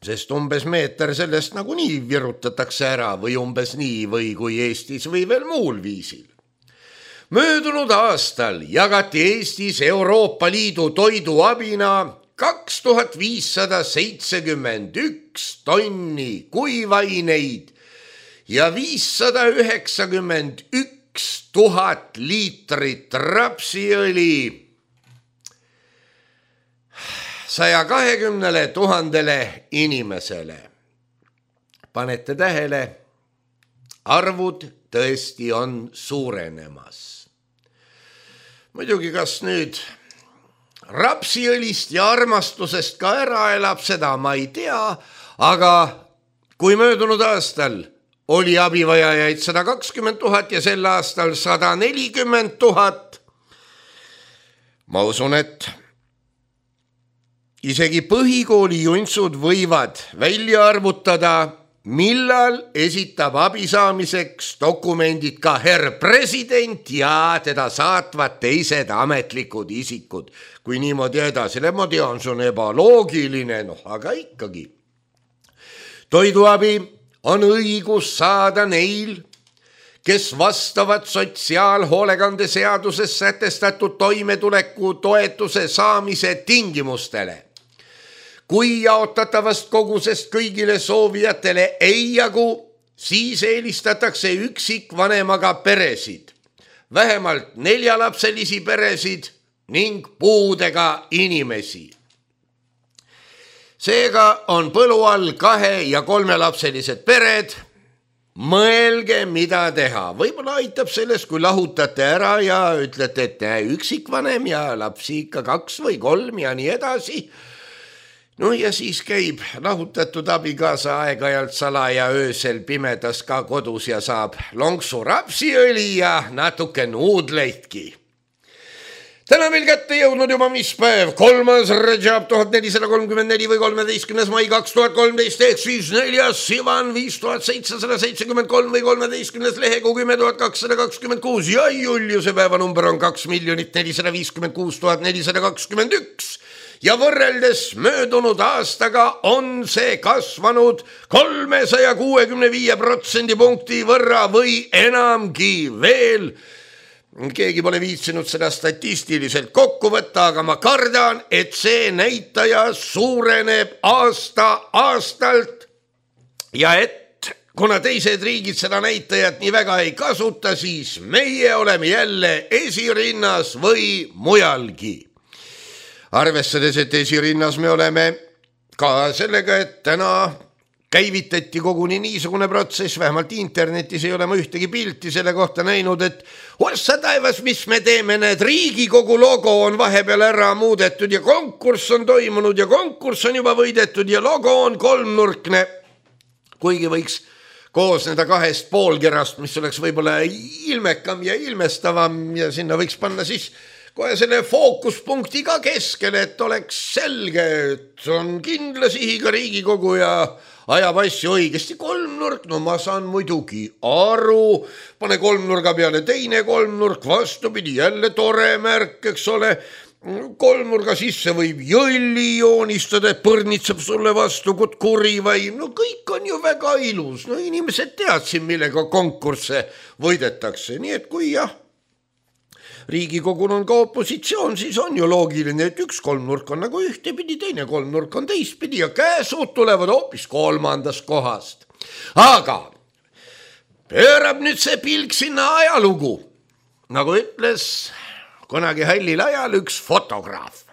[SPEAKER 3] sest umbes meeter sellest nagunii virutatakse ära või umbes nii või kui Eestis või veel muul viisil. Möödunud aastal jagati Eestis Euroopa Liidu toiduabina kaks tuhat viissada seitsekümmend üks tonni kuivaineid ja viissada üheksakümmend üks tuhat liitrit rapsiõli saja kahekümnele tuhandele inimesele. Panete tähele, arvud tõesti on suurenemas. Muidugi, kas nüüd rapsiõlist ja armastusest ka ära elab, seda ma ei tea, aga kui möödunud aastal oli abivajajaid sada kakskümmend tuhat ja sel aastal sada nelikümmend tuhat, ma usun, et isegi põhikooli juntsud võivad välja arvutada, millal esitab abi saamiseks dokumendid ka herr president ja teda saatvad teised ametlikud isikud. Kui niimoodi edasi, ma tean, see on ebaloogiline, noh, aga ikkagi. Toiduabi on õigus saada neil, kes vastavad sotsiaalhoolekande seaduses sätestatud toimetuleku toetuse saamise tingimustele. Kui jaotatavast kogusest kõigile soovijatele ei jagu, siis eelistatakse üksikvanemaga peresid, vähemalt neljalapselisi peresid ning puudega inimesi. Seega on põlu all kahe- ja kolmelapselised pered. Mõelge, mida teha. Võib-olla aitab sellest, kui lahutate ära ja ütlete, et üksikvanem ja lapsi ikka kaks või kolm ja nii edasi. No ja siis käib lahutatud abikaasa aeg-ajalt salaja öösel pimedas ka kodus ja saab lonksu rapsiõli ja natuke nuudleidki. Täna meil kätte jõudnud juba mis päev, kolmas Rajab tuhat nelisada kolmkümmend neli või kolmeteistkümnes mai kaks tuhat kolmteist ehk siis neljas Sivan viis tuhat seitsesada seitsekümmend kolm või kolmeteistkümnes lehekuu kümme tuhat kakssada kakskümmend kuus ja Juliuse päevanumber on kaks miljonit nelisada viiskümmend kuus tuhat nelisada kakskümmend üks. Ja võrreldes möödunud aastaga on see kasvanud kolmesaja kuuekümne viie protsendi punkti võrra või enamgi veel. Keegi pole viitsinud seda statistiliselt kokku võtta, aga ma kardan, et see näitaja suureneb aasta aastalt ja et kuna teised riigid seda näitajat nii väga ei kasuta, siis meie oleme jälle esirinnas või mujalgi. Arvestades, et esirinnas me oleme ka sellega, et täna käivitati koguni niisugune protsess, vähemalt internetis ei ole ma ühtegi pilti selle kohta näinud, et ossa taevas, mis me teeme, need Riigikogu logo on vahepeal ära muudetud ja konkurss on toimunud ja konkurss on juba võidetud ja logo on kolmnurkne. Kuigi võiks koosneda kahest poolkerast, mis oleks võib-olla ilmekam ja ilmestavam ja sinna võiks panna siis kohe selle fookuspunkti ka keskele, et oleks selge, et on kindla sihiga Riigikogu ja ajab asju õigesti. Kolmnurk, no ma saan muidugi aru, pane kolmnurga peale teine kolmnurk, vastupidi, jälle tore märk, eks ole. Kolmnurga sisse võib jõlli joonistada, et põrnitseb sulle vastu kutkuri või no kõik on ju väga ilus. No inimesed teadsid, millega konkursse võidetakse, nii et kui jah, Riigikogul on ka opositsioon, siis on ju loogiline, et üks kolmnurk on nagu ühtepidi, teine kolmnurk on teistpidi ja käesud tulevad hoopis kolmandast kohast. Aga pöörab nüüd see pilk sinna ajalugu, nagu ütles kunagi hallil ajal üks fotograaf.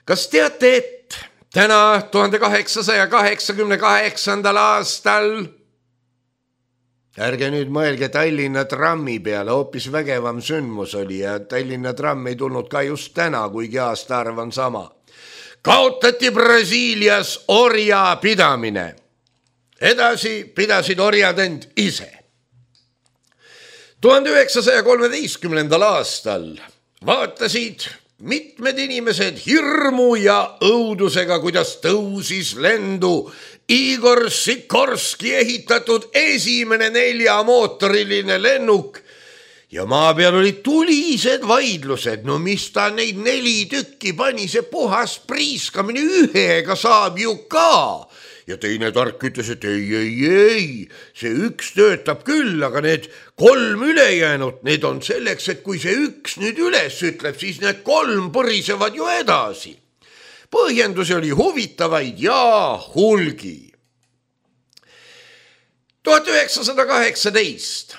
[SPEAKER 3] Kas teate, et täna tuhande kaheksasaja kaheksakümne kaheksandal aastal, ärge nüüd mõelge Tallinna trammi peale, hoopis vägevam sündmus oli ja Tallinna tramm ei tulnud ka just täna, kuigi aastaarv on sama. Kaotati Brasiilias orja pidamine. Edasi pidasid orjad end ise. tuhande üheksasaja kolmeteistkümnendal aastal vaatasid mitmed inimesed hirmu ja õudusega, kuidas tõusis lendu Igor Sikorski ehitatud esimene neljamootoriline lennuk ja maa peal olid tulised vaidlused, no mis ta neid neli tükki pani, see puhas priiskamine, ühega saab ju ka. Ja teine tark ütles, et ei, ei, ei, see üks töötab küll, aga need kolm ülejäänud, need on selleks, et kui see üks nüüd üles ütleb, siis need kolm põrisevad ju edasi. Põhjendusi oli huvitavaid ja hulgi. tuhat üheksasada kaheksateist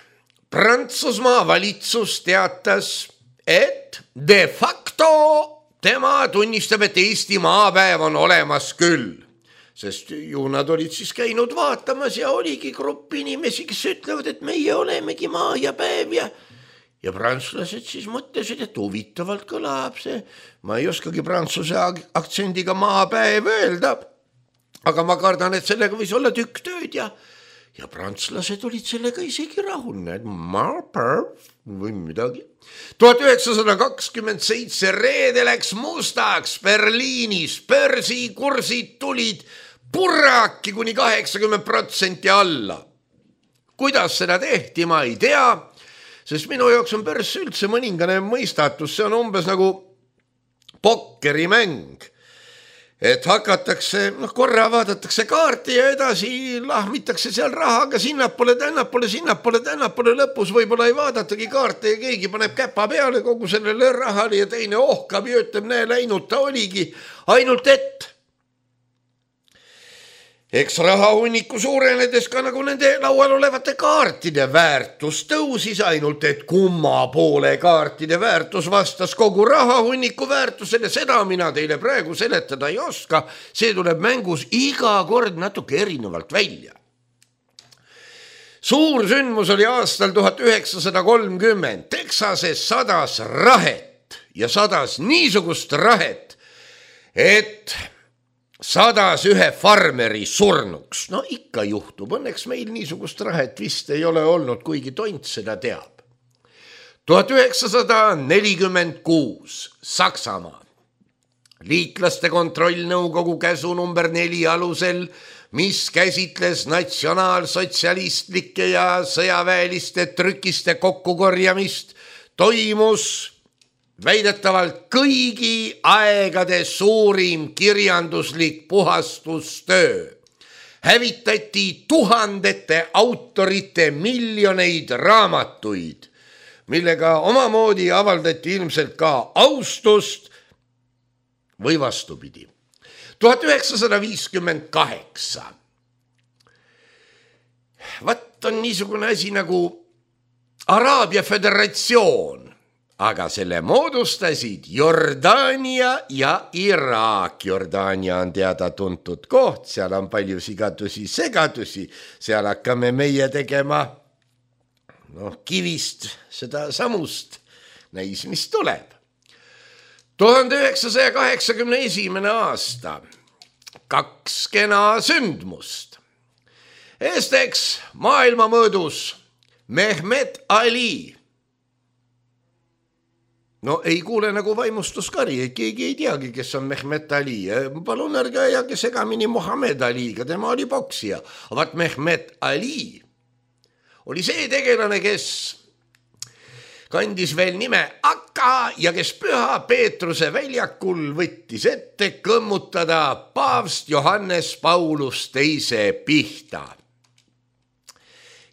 [SPEAKER 3] Prantsusmaa valitsus teatas, et de facto tema tunnistab, et Eesti maapäev on olemas küll. Sest ju nad olid siis käinud vaatamas ja oligi grupp inimesi, kes ütlevad, et meie olemegi maa ja päev ja, ja prantslased siis mõtlesid, et huvitavalt kõlab see. Ma ei oskagi prantsuse aktsendiga maapäev öelda, aga ma kardan, et sellega võis olla tükk tööd ja, ja prantslased olid sellega isegi rahul, et maapäev või midagi. tuhat üheksasada kakskümmend seitse reede läks mustaks Berliinis, börsikursid tulid purraki kuni kaheksakümmend protsenti alla. Kuidas seda tehti, ma ei tea, sest minu jaoks on börs üldse mõningane mõistatus, see on umbes nagu pokkerimäng. Et hakatakse, noh korra vaadatakse kaarti ja edasi lahmitakse seal rahaga sinnapoole, tännapoole, sinnapoole, tännapoole, lõpus võib-olla ei vaadatagi kaarte ja keegi paneb käpa peale kogu sellele rahale ja teine ohkab ja ütleb, näe läinud ta oligi, ainult et eks rahahunniku suurenedes ka nagu nende laual olevate kaartide väärtus tõusis, ainult et kumma poole kaartide väärtus vastas kogu rahahunniku väärtusele, seda mina teile praegu seletada ei oska, see tuleb mängus iga kord natuke erinevalt välja. Suur sündmus oli aastal tuhat üheksasada kolmkümmend, Texases sadas rahet ja sadas niisugust rahet, et sadas ühe farmeri surnuks. No ikka juhtub, õnneks meil niisugust rahet vist ei ole olnud, kuigi tont seda teab. tuhat üheksasada nelikümmend kuus Saksamaa. Liitlaste kontrollnõukogu käsu number neli alusel, mis käsitles natsionaalsotsialistlike ja sõjaväeliste trükiste kokkukorjamist, toimus väidetavalt kõigi aegade suurim kirjanduslik puhastustöö. Hävitati tuhandete autorite miljoneid raamatuid, millega omamoodi avaldati ilmselt ka austust või vastupidi. tuhat üheksasada viiskümmend kaheksa Vat on niisugune asi nagu Araabia Föderatsioon, aga selle moodustasid Jordaania ja Iraak. Jordaania on teada tuntud koht, seal on palju sigadusi, segadusi, seal hakkame meie tegema noh, kivist seda samust, näis, mis tuleb. tuhande üheksasaja kaheksakümne esimene aasta, kaks kena sündmust. Esiteks maailma mõõdus Mehmet Ali. No ei kuule nagu vaimustuskari, keegi ei teagi, kes on Mehmet Ali. Palun ärge ajage segamini Muhamed Aliga, tema oli poksija. Vaat Mehmet Ali oli see tegelane, kes kandis veel nime Akka ja kes Püha Peetruse väljakul võttis ette kõmmutada paavst Johannes Paulus teise pihta.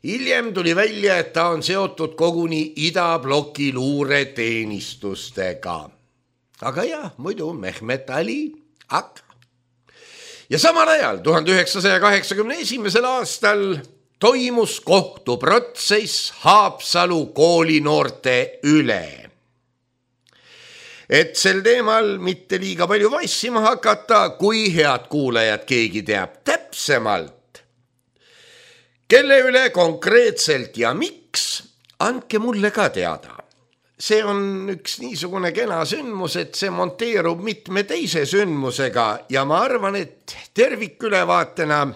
[SPEAKER 3] Hiljem tuli välja, et ta on seotud koguni idabloki luureteenistustega. Aga jah, muidu Mehmet Ali, Akka. Ja samal ajal tuhande üheksasaja kaheksakümne esimesel aastal toimus kohtuprotsess Haapsalu koolinoorte üle. Et sel teemal mitte liiga palju vassima hakata, kui head kuulajad keegi teab täpsemalt, kelle üle konkreetselt ja miks, andke mulle ka teada. See on üks niisugune kena sündmus, et see monteerub mitme teise sündmusega ja ma arvan, et tervikülevaatena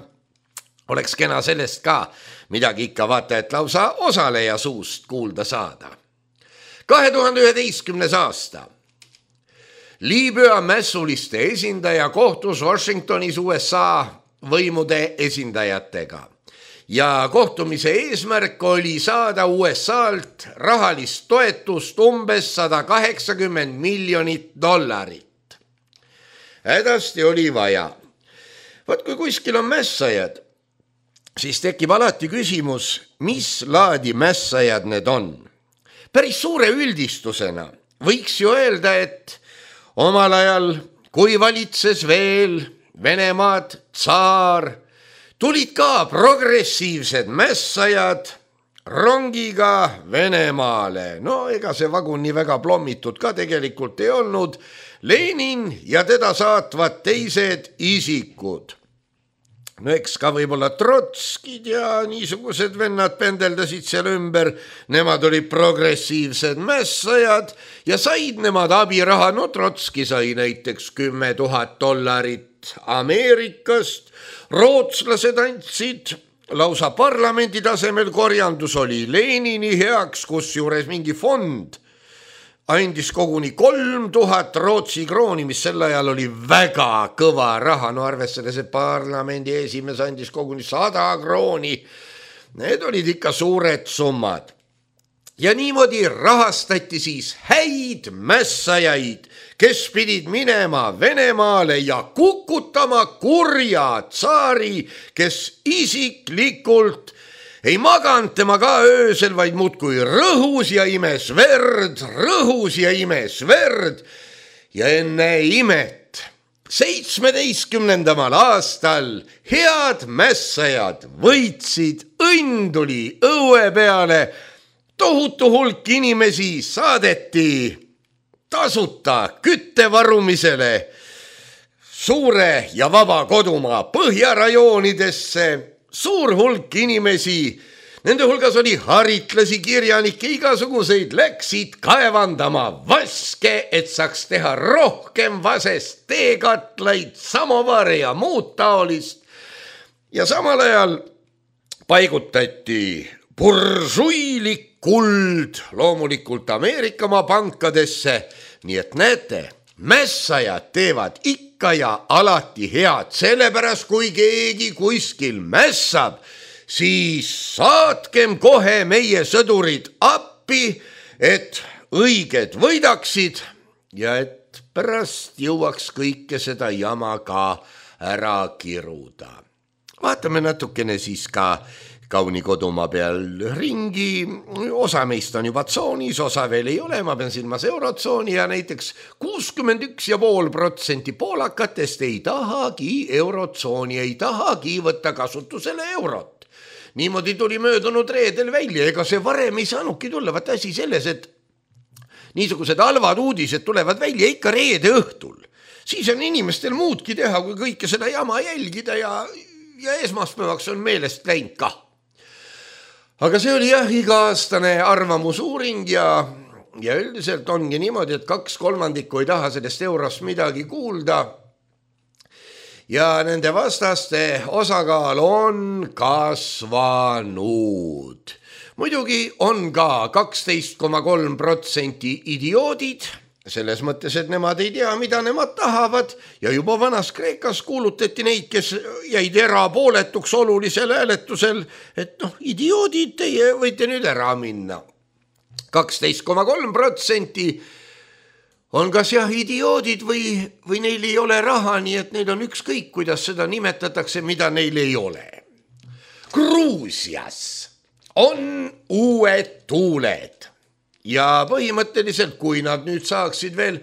[SPEAKER 3] oleks kena sellest ka midagi ikka vaata, et lausa osaleja suust kuulda saada. kahe tuhande üheteistkümnes aasta. Liibüa mässuliste esindaja kohtus Washingtonis U S A võimude esindajatega. Ja kohtumise eesmärk oli saada U S A-lt rahalist toetust umbes sada kaheksakümmend miljonit dollarit. Hädasti oli vaja. Vaat kui kuskil on mässajad, siis tekib alati küsimus, mis laadi mässajad need on. Päris suure üldistusena võiks ju öelda, et omal ajal, kui valitses veel Venemaad tsaar, tulid ka progressiivsed mässajad rongiga Venemaale. No ega see vagun nii väga plommitud ka tegelikult ei olnud. Lenin ja teda saatvad teised isikud. No eks ka võib-olla Trotskid ja niisugused vennad pendeldasid seal ümber. Nemad olid progressiivsed mässajad ja said nemad abiraha. No Trotski sai näiteks kümme tuhat dollarit Ameerikast. Rootslased andsid lausa parlamendi tasemel, korjandus oli Lenini heaks, kus juures mingi fond andis koguni kolm tuhat Rootsi krooni, mis sel ajal oli väga kõva raha. No arvestades, et parlamendi esimees andis koguni sada krooni. Need olid ikka suured summad. Ja niimoodi rahastati siis häid mässajaid, kes pidid minema Venemaale ja kukutama kurja tsaari, kes isiklikult ei maganud tema ka öösel, vaid muudkui rõhus ja imes verd, rõhus ja imes verd. Ja enne imet seitsmeteistkümnendamal aastal head mässajad võitsid, õnn tuli õue peale. Tohutu hulk inimesi saadeti tasuta küttevarumisele suure ja vaba kodumaa põhjarajoonidesse. Suur hulk inimesi, nende hulgas oli haritlasi, kirjanikke, igasuguseid, läksid kaevandama vaske, et saaks teha rohkem vasest teekatlaid, samovare ja muud taolist. Ja samal ajal paigutati bursuilik kuld loomulikult Ameerikamaa pankadesse, nii et näete, mässajad teevad ikka ja alati head, sellepärast kui keegi kuskil mässab, siis saatkem kohe meie sõdurid appi, et õiged võidaksid ja et pärast jõuaks kõike seda jama ka ära kiruda. Vaatame natukene siis ka kauni kodumaa peal ringi, osa meist on juba tsoonis, osa veel ei ole, ma pean silmas eurotsooni ja näiteks kuuskümmend üks ja pool protsenti poolakatest ei tahagi eurotsooni, ei tahagi võtta kasutusele eurot. Niimoodi tuli möödunud reedel välja, ega see varem ei saanudki tulla, vaat asi selles, et niisugused halvad uudised tulevad välja ikka reede õhtul. Siis on inimestel muudki teha, kui kõike seda jama jälgida ja, ja esmaspäevaks on meelest läinud ka. Aga see oli jah iga-aastane arvamusuuring ja, ja üldiselt ongi niimoodi, et kaks kolmandikku ei taha sellest eurost midagi kuulda. ja nende vastaste osakaal on kasvanud. Muidugi on ka kaksteist koma kolm protsenti idioodid, selles mõttes, et nemad ei tea, mida nemad tahavad ja juba vanas Kreekas kuulutati neid, kes jäid erapooletuks olulisel hääletusel, et noh, idioodid, teie võite nüüd ära minna. kaksteist koma kolm protsenti on kas jah idioodid või, või neil ei ole raha, nii et neil on ükskõik, kuidas seda nimetatakse, mida neil ei ole. Gruusias on uued tuuled ja põhimõtteliselt, kui nad nüüd saaksid veel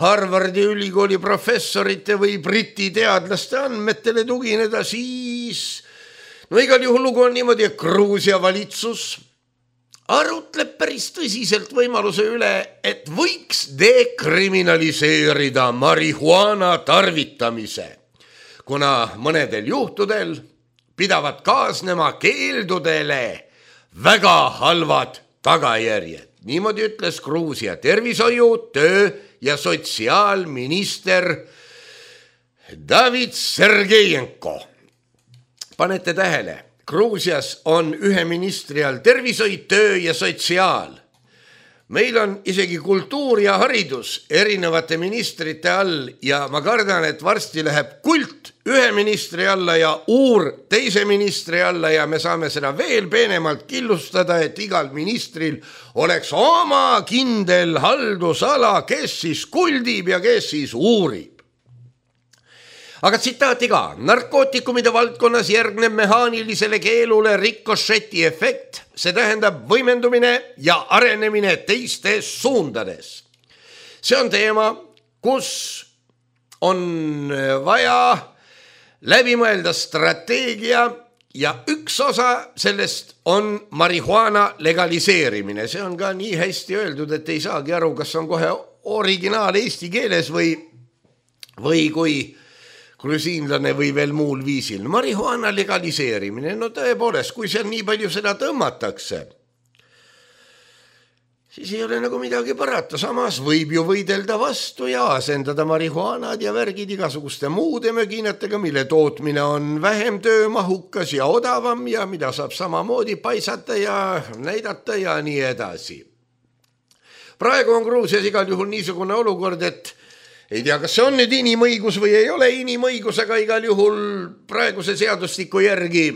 [SPEAKER 3] Harvardi ülikooli professorite või Briti teadlaste andmetele tugineda, siis no igal juhul lugu on niimoodi, et Gruusia valitsus arutleb päris tõsiselt võimaluse üle, et võiks dekriminaliseerida marihuana tarvitamise, kuna mõnedel juhtudel pidavad kaasnema keeldudele väga halvad tagajärjed. Niimoodi ütles Gruusia tervishoiu, töö ja sotsiaalminister David Sergejenko. Panete tähele, Gruusias on ühe ministri all tervishoid, töö ja sotsiaal. Meil on isegi kultuur ja haridus erinevate ministrite all ja ma kardan, et varsti läheb kult ühe ministri alla ja uur teise ministri alla ja me saame seda veel peenemalt killustada, et igal ministril oleks oma kindel haldusala, kes siis kuldib ja kes siis uurib. Aga tsitaati ka, narkootikumide valdkonnas järgneb mehaanilisele keelule rikošeti efekt, see tähendab võimendumine ja arenemine teistes suundades. See on teema, kus on vaja läbi mõelda strateegia ja üks osa sellest on marihuana legaliseerimine. See on ka nii hästi öeldud, et ei saagi aru, kas on kohe originaal eesti keeles või, või kui grusiinlane või veel muul viisil. Marihuana legaliseerimine, no tõepoolest, kui seal nii palju seda tõmmatakse, siis ei ole nagu midagi parata. Samas võib ju võidelda vastu ja asendada marihuanad ja värgid igasuguste muude möginatega, mille tootmine on vähem töömahukas ja odavam ja mida saab samamoodi paisata ja näidata ja nii edasi. Praegu on Gruusias igal juhul niisugune olukord, et ei tea, kas see on nüüd inimõigus või ei ole inimõigus, aga igal juhul praeguse seadustiku järgi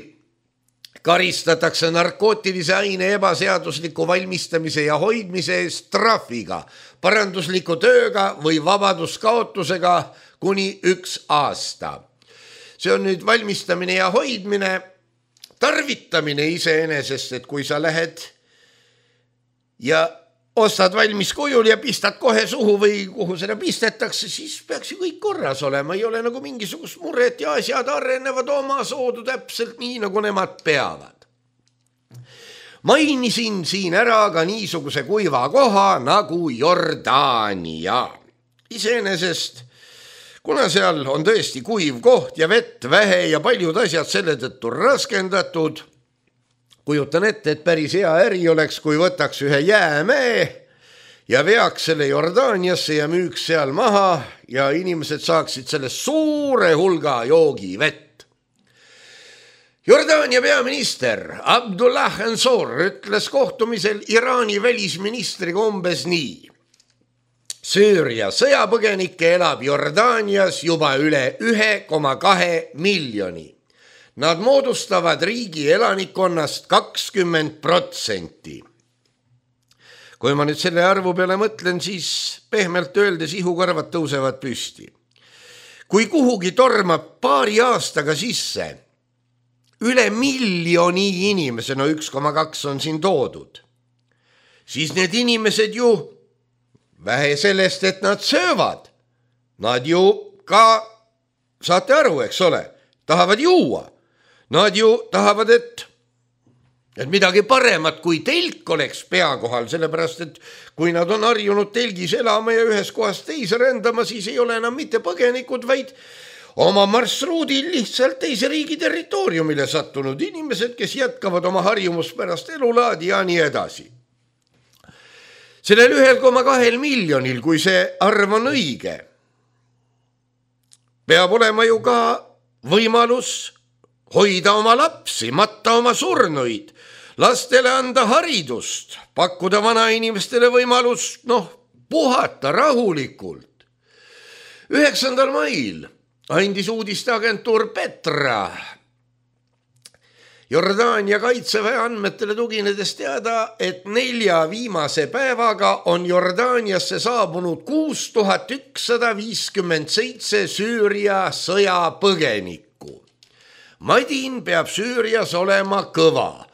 [SPEAKER 3] karistatakse narkootilise aine ebaseadusliku valmistamise ja hoidmise eest trahviga, parandusliku tööga või vabaduskaotusega kuni üks aasta. See on nüüd valmistamine ja hoidmine, tarvitamine iseenesest, et kui sa lähed ja ostad valmis kujul ja pistad kohe suhu või kuhu seda pistetakse, siis peaks ju kõik korras olema. Ei ole nagu mingisugust muret ja asjad arenevad oma soodu täpselt nii, nagu nemad peavad. Mainisin siin ära ka niisuguse kuiva koha nagu Jordaania. Iseenesest, kuna seal on tõesti kuiv koht ja vett vähe ja paljud asjad selle tõttu raskendatud, kujutan ette, et päris hea äri oleks, kui võtaks ühe jäämäe ja veaks selle Jordaaniasse ja müüks seal maha ja inimesed saaksid sellest suure hulga joogivett. Jordaania peaminister Abdullah Ensor ütles kohtumisel Iraani välisministriga umbes nii. Süüria sõjapõgenikke elab Jordaanias juba üle ühe koma kahe miljoni. Nad moodustavad riigi elanikkonnast kakskümmend protsenti. Kui ma nüüd selle arvu peale mõtlen, siis pehmelt öeldes ihukarvad tõusevad püsti. Kui kuhugi tormab paari aastaga sisse üle miljoni inimese, no üks koma kaks on siin toodud, siis need inimesed ju, vähe sellest, et nad söövad, nad ju ka, saate aru, eks ole, tahavad juua. Nad ju tahavad, et, et midagi paremat kui telk oleks pea kohal, sellepärast, et kui nad on harjunud telgis elama ja ühes kohas teise rändama, siis ei ole enam mitte põgenikud, vaid oma marsruudil lihtsalt teise riigi territooriumile sattunud inimesed, kes jätkavad oma harjumuspärast elulaadi ja nii edasi. Sellel ühel koma kahel miljonil, kui see arv on õige, peab olema ju ka võimalus hoida oma lapsi, matta oma surnuid, lastele anda haridust, pakkuda vanainimestele võimalus, noh, puhata rahulikult. üheksandal mail andis uudisteagentuur Petra Jordaania kaitseväe andmetele tuginedes teada, et nelja viimase päevaga on Jordaaniasse saabunud kuus tuhat ükssada viiskümmend seitse Süüria sõjapõgenikku. Madin peab Süürias olema kõva.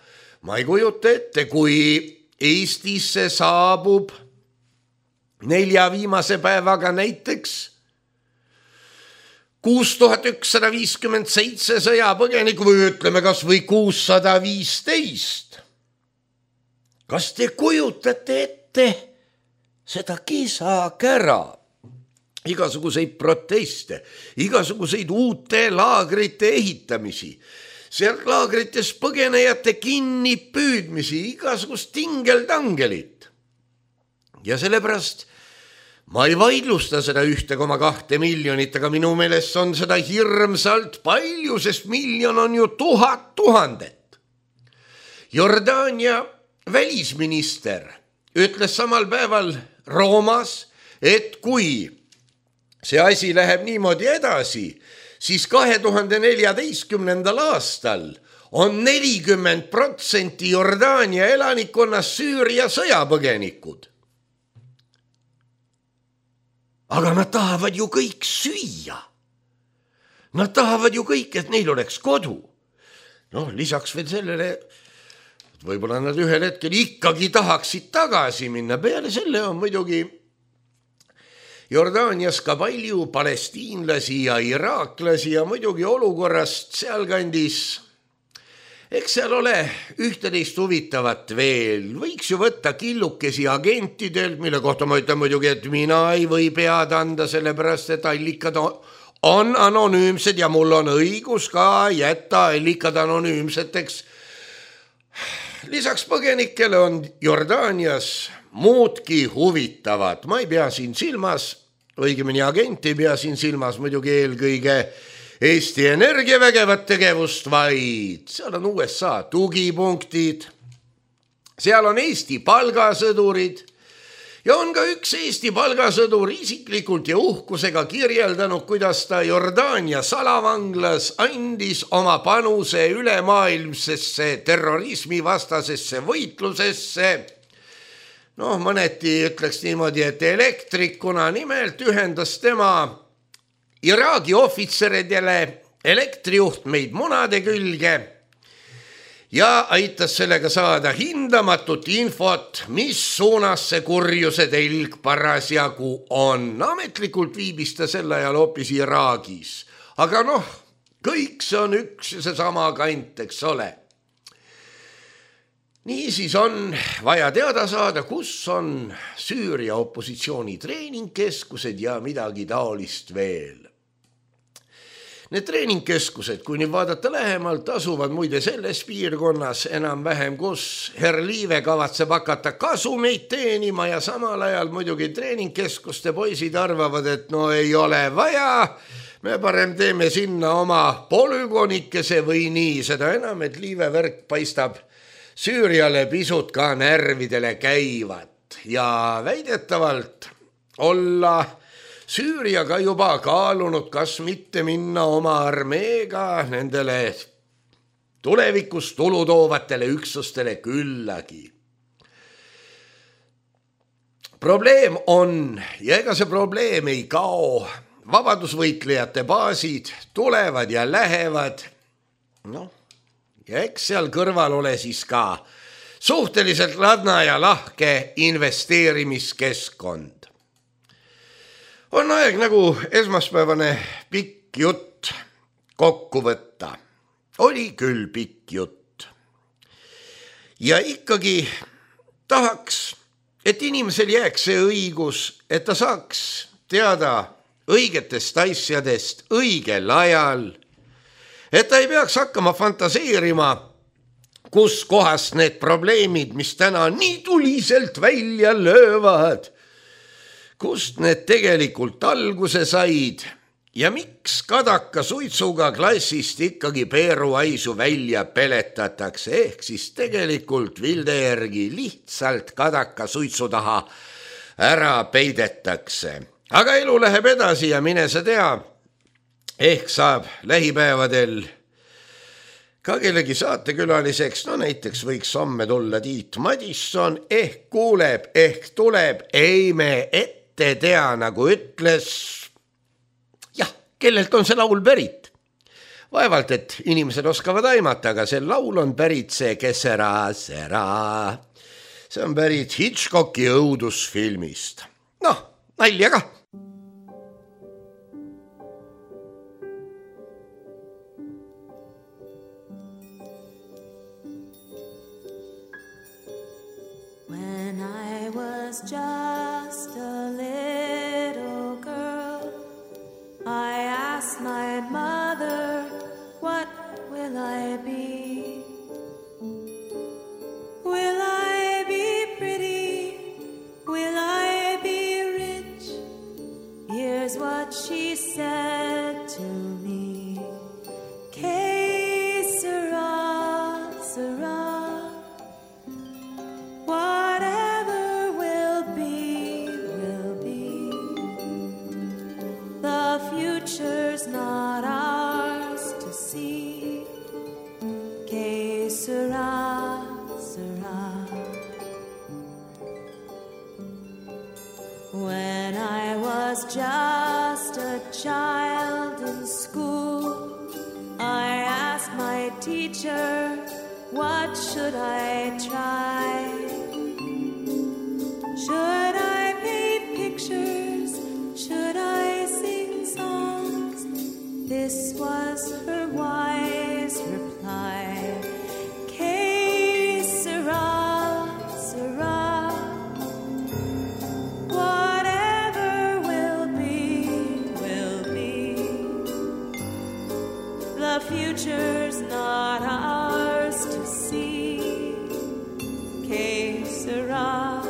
[SPEAKER 3] Ma ei kujuta ette, kui Eestisse saabub nelja viimase päevaga näiteks kuus tuhat ükssada viiskümmend seitse sõjapõgenikku või ütleme kas või kuussada viisteist. Kas te kujutate ette seda kisakära? Igasuguseid proteste, igasuguseid uute laagrite ehitamisi, sealt laagrites põgenejate kinni püüdmisi, igasugust tingeltangelit. Ja sellepärast ma ei vaidlusta seda ühte koma kahte miljonit, aga minu meelest on seda hirmsalt palju, sest miljon on ju tuhat tuhandet. Jordaania välisminister ütles samal päeval Roomas, et kui see asi läheb niimoodi edasi, siis kahe tuhande neljateistkümnendal aastal on nelikümmend protsenti Jordaania elanikkonnast Süüria sõjapõgenikud. Aga nad tahavad ju kõik süüa. Nad tahavad ju kõik, et neil oleks kodu. Noh, lisaks veel sellele, võib-olla nad ühel hetkel ikkagi tahaksid tagasi minna. Peale selle on muidugi Jordaanias ka palju palestiinlasi ja iraaklasi ja muidugi olukorrast sealkandis. Eks seal ole ühteteist huvitavat veel. Võiks ju võtta killukesi agentidelt, mille kohta ma ütlen muidugi, et mina ei või pead anda, sellepärast et allikad on anonüümsed ja mul on õigus ka jätta allikad anonüümseteks. Lisaks põgenikele on Jordaanias muudki huvitavad. Ma ei pea siin silmas, õigemini agent ei pea siin silmas muidugi eelkõige Eesti Energia vägevat tegevust, vaid seal on U S A tugipunktid, seal on Eesti palgasõdurid ja on ka üks Eesti palgasõdur isiklikult ja uhkusega kirjeldanud, kuidas ta Jordaania salavanglas andis oma panuse ülemaailmsesse terrorismivastasesse võitlusesse. Noh, mõneti ütleks niimoodi, et elektrikuna nimelt ühendas tema Iraagi ohvitseridele elektrijuhtmeid munade külge ja aitas sellega saada hindamatut infot, mis suunas see kurjuse telg parasjagu on. Ametlikult viibis ta sel ajal hoopis Iraagis. Aga noh, kõik see on üks ja seesama kant, eks ole. Niisiis on vaja teada saada, kus on Süüria opositsiooni treeningkeskused ja midagi taolist veel. Need treeningkeskused, kui nüüd vaadata lähemalt, asuvad muide selles piirkonnas enam-vähem, kus herr Liive kavatseb hakata kasumeid teenima ja samal ajal muidugi treeningkeskuste poisid arvavad, et no ei ole vaja, me parem teeme sinna oma polügonikese või nii, seda enam, et Liive värk paistab Süüriale pisut ka närvidele käivat ja väidetavalt olla Süüriaga juba kaalunud, kas mitte minna oma armeega nendele tulevikus tulu toovatele üksustele küllagi. Probleem on, ja ega see probleem ei kao, vabadusvõitlejate baasid tulevad ja lähevad, noh, ja eks seal kõrval ole siis ka suhteliselt ladna ja lahke investeerimiskeskkond. On aeg nagu esmaspäevane pikk jutt kokku võtta. Oli küll pikk jutt. Ja ikkagi tahaks, et inimesel jääks see õigus, et ta saaks teada õigetest asjadest õigel ajal, et ta ei peaks hakkama fantaseerima, kus kohast need probleemid, mis täna nii tuliselt välja löövad, kust need tegelikult alguse said ja miks kadaka suitsuga klassist ikkagi peeruaisu välja peletatakse, ehk siis tegelikult Vilde järgi lihtsalt kadaka suitsu taha ära peidetakse. Aga elu läheb edasi ja mine sa tea, ehk saab lähipäevadel ka kellegi saatekülaliseks, no näiteks võiks homme tulla Tiit Madisson, ehk kuuleb, ehk tuleb, ei me ette tea, nagu ütles, jah, kellelt on see laul pärit. Vaevalt, et inimesed oskavad aimata, aga see laul on pärit see Kesera sera. See on pärit Hitchcocki õudusfilmist. Noh, nalja ka.
[SPEAKER 4] When I was just a little girl, I asked my mother, what will I be? Will I be pretty? Will I be rich? Here's what she said to me. Que sera, sera. Whatever will be, will be. The future's not ours to see. Que sera, sera. When I was just a child in school, I asked my teacher, what should I try? Should I paint pictures? Should I sing songs? This was her wise reply. Que sera, sera. Whatever will be, will be. The future's not ours to see. Que sera,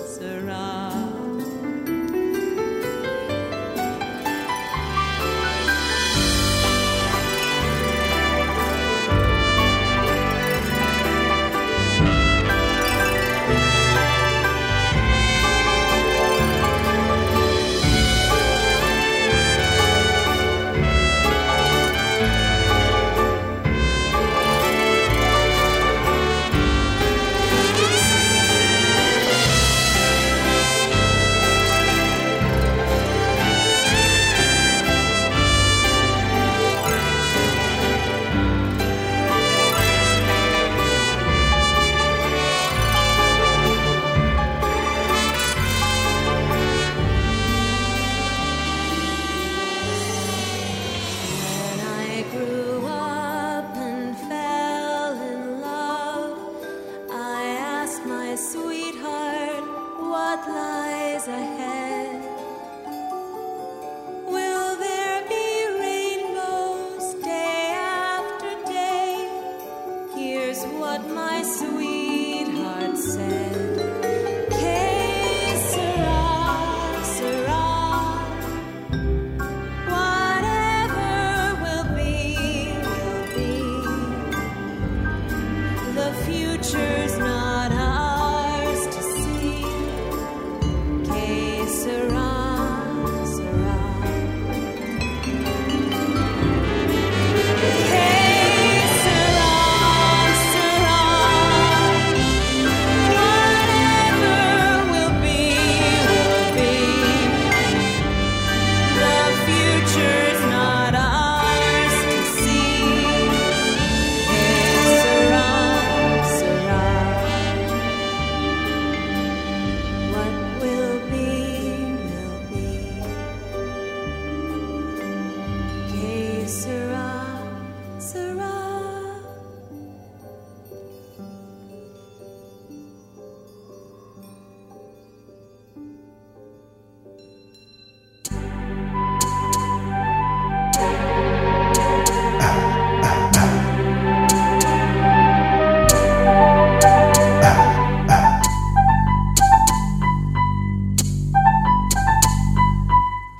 [SPEAKER 4] sera.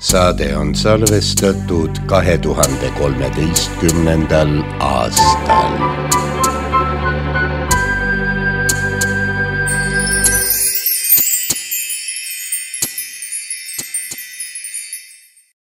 [SPEAKER 3] saade on salvestatud kahe tuhande kolmeteistkümnendal aastal.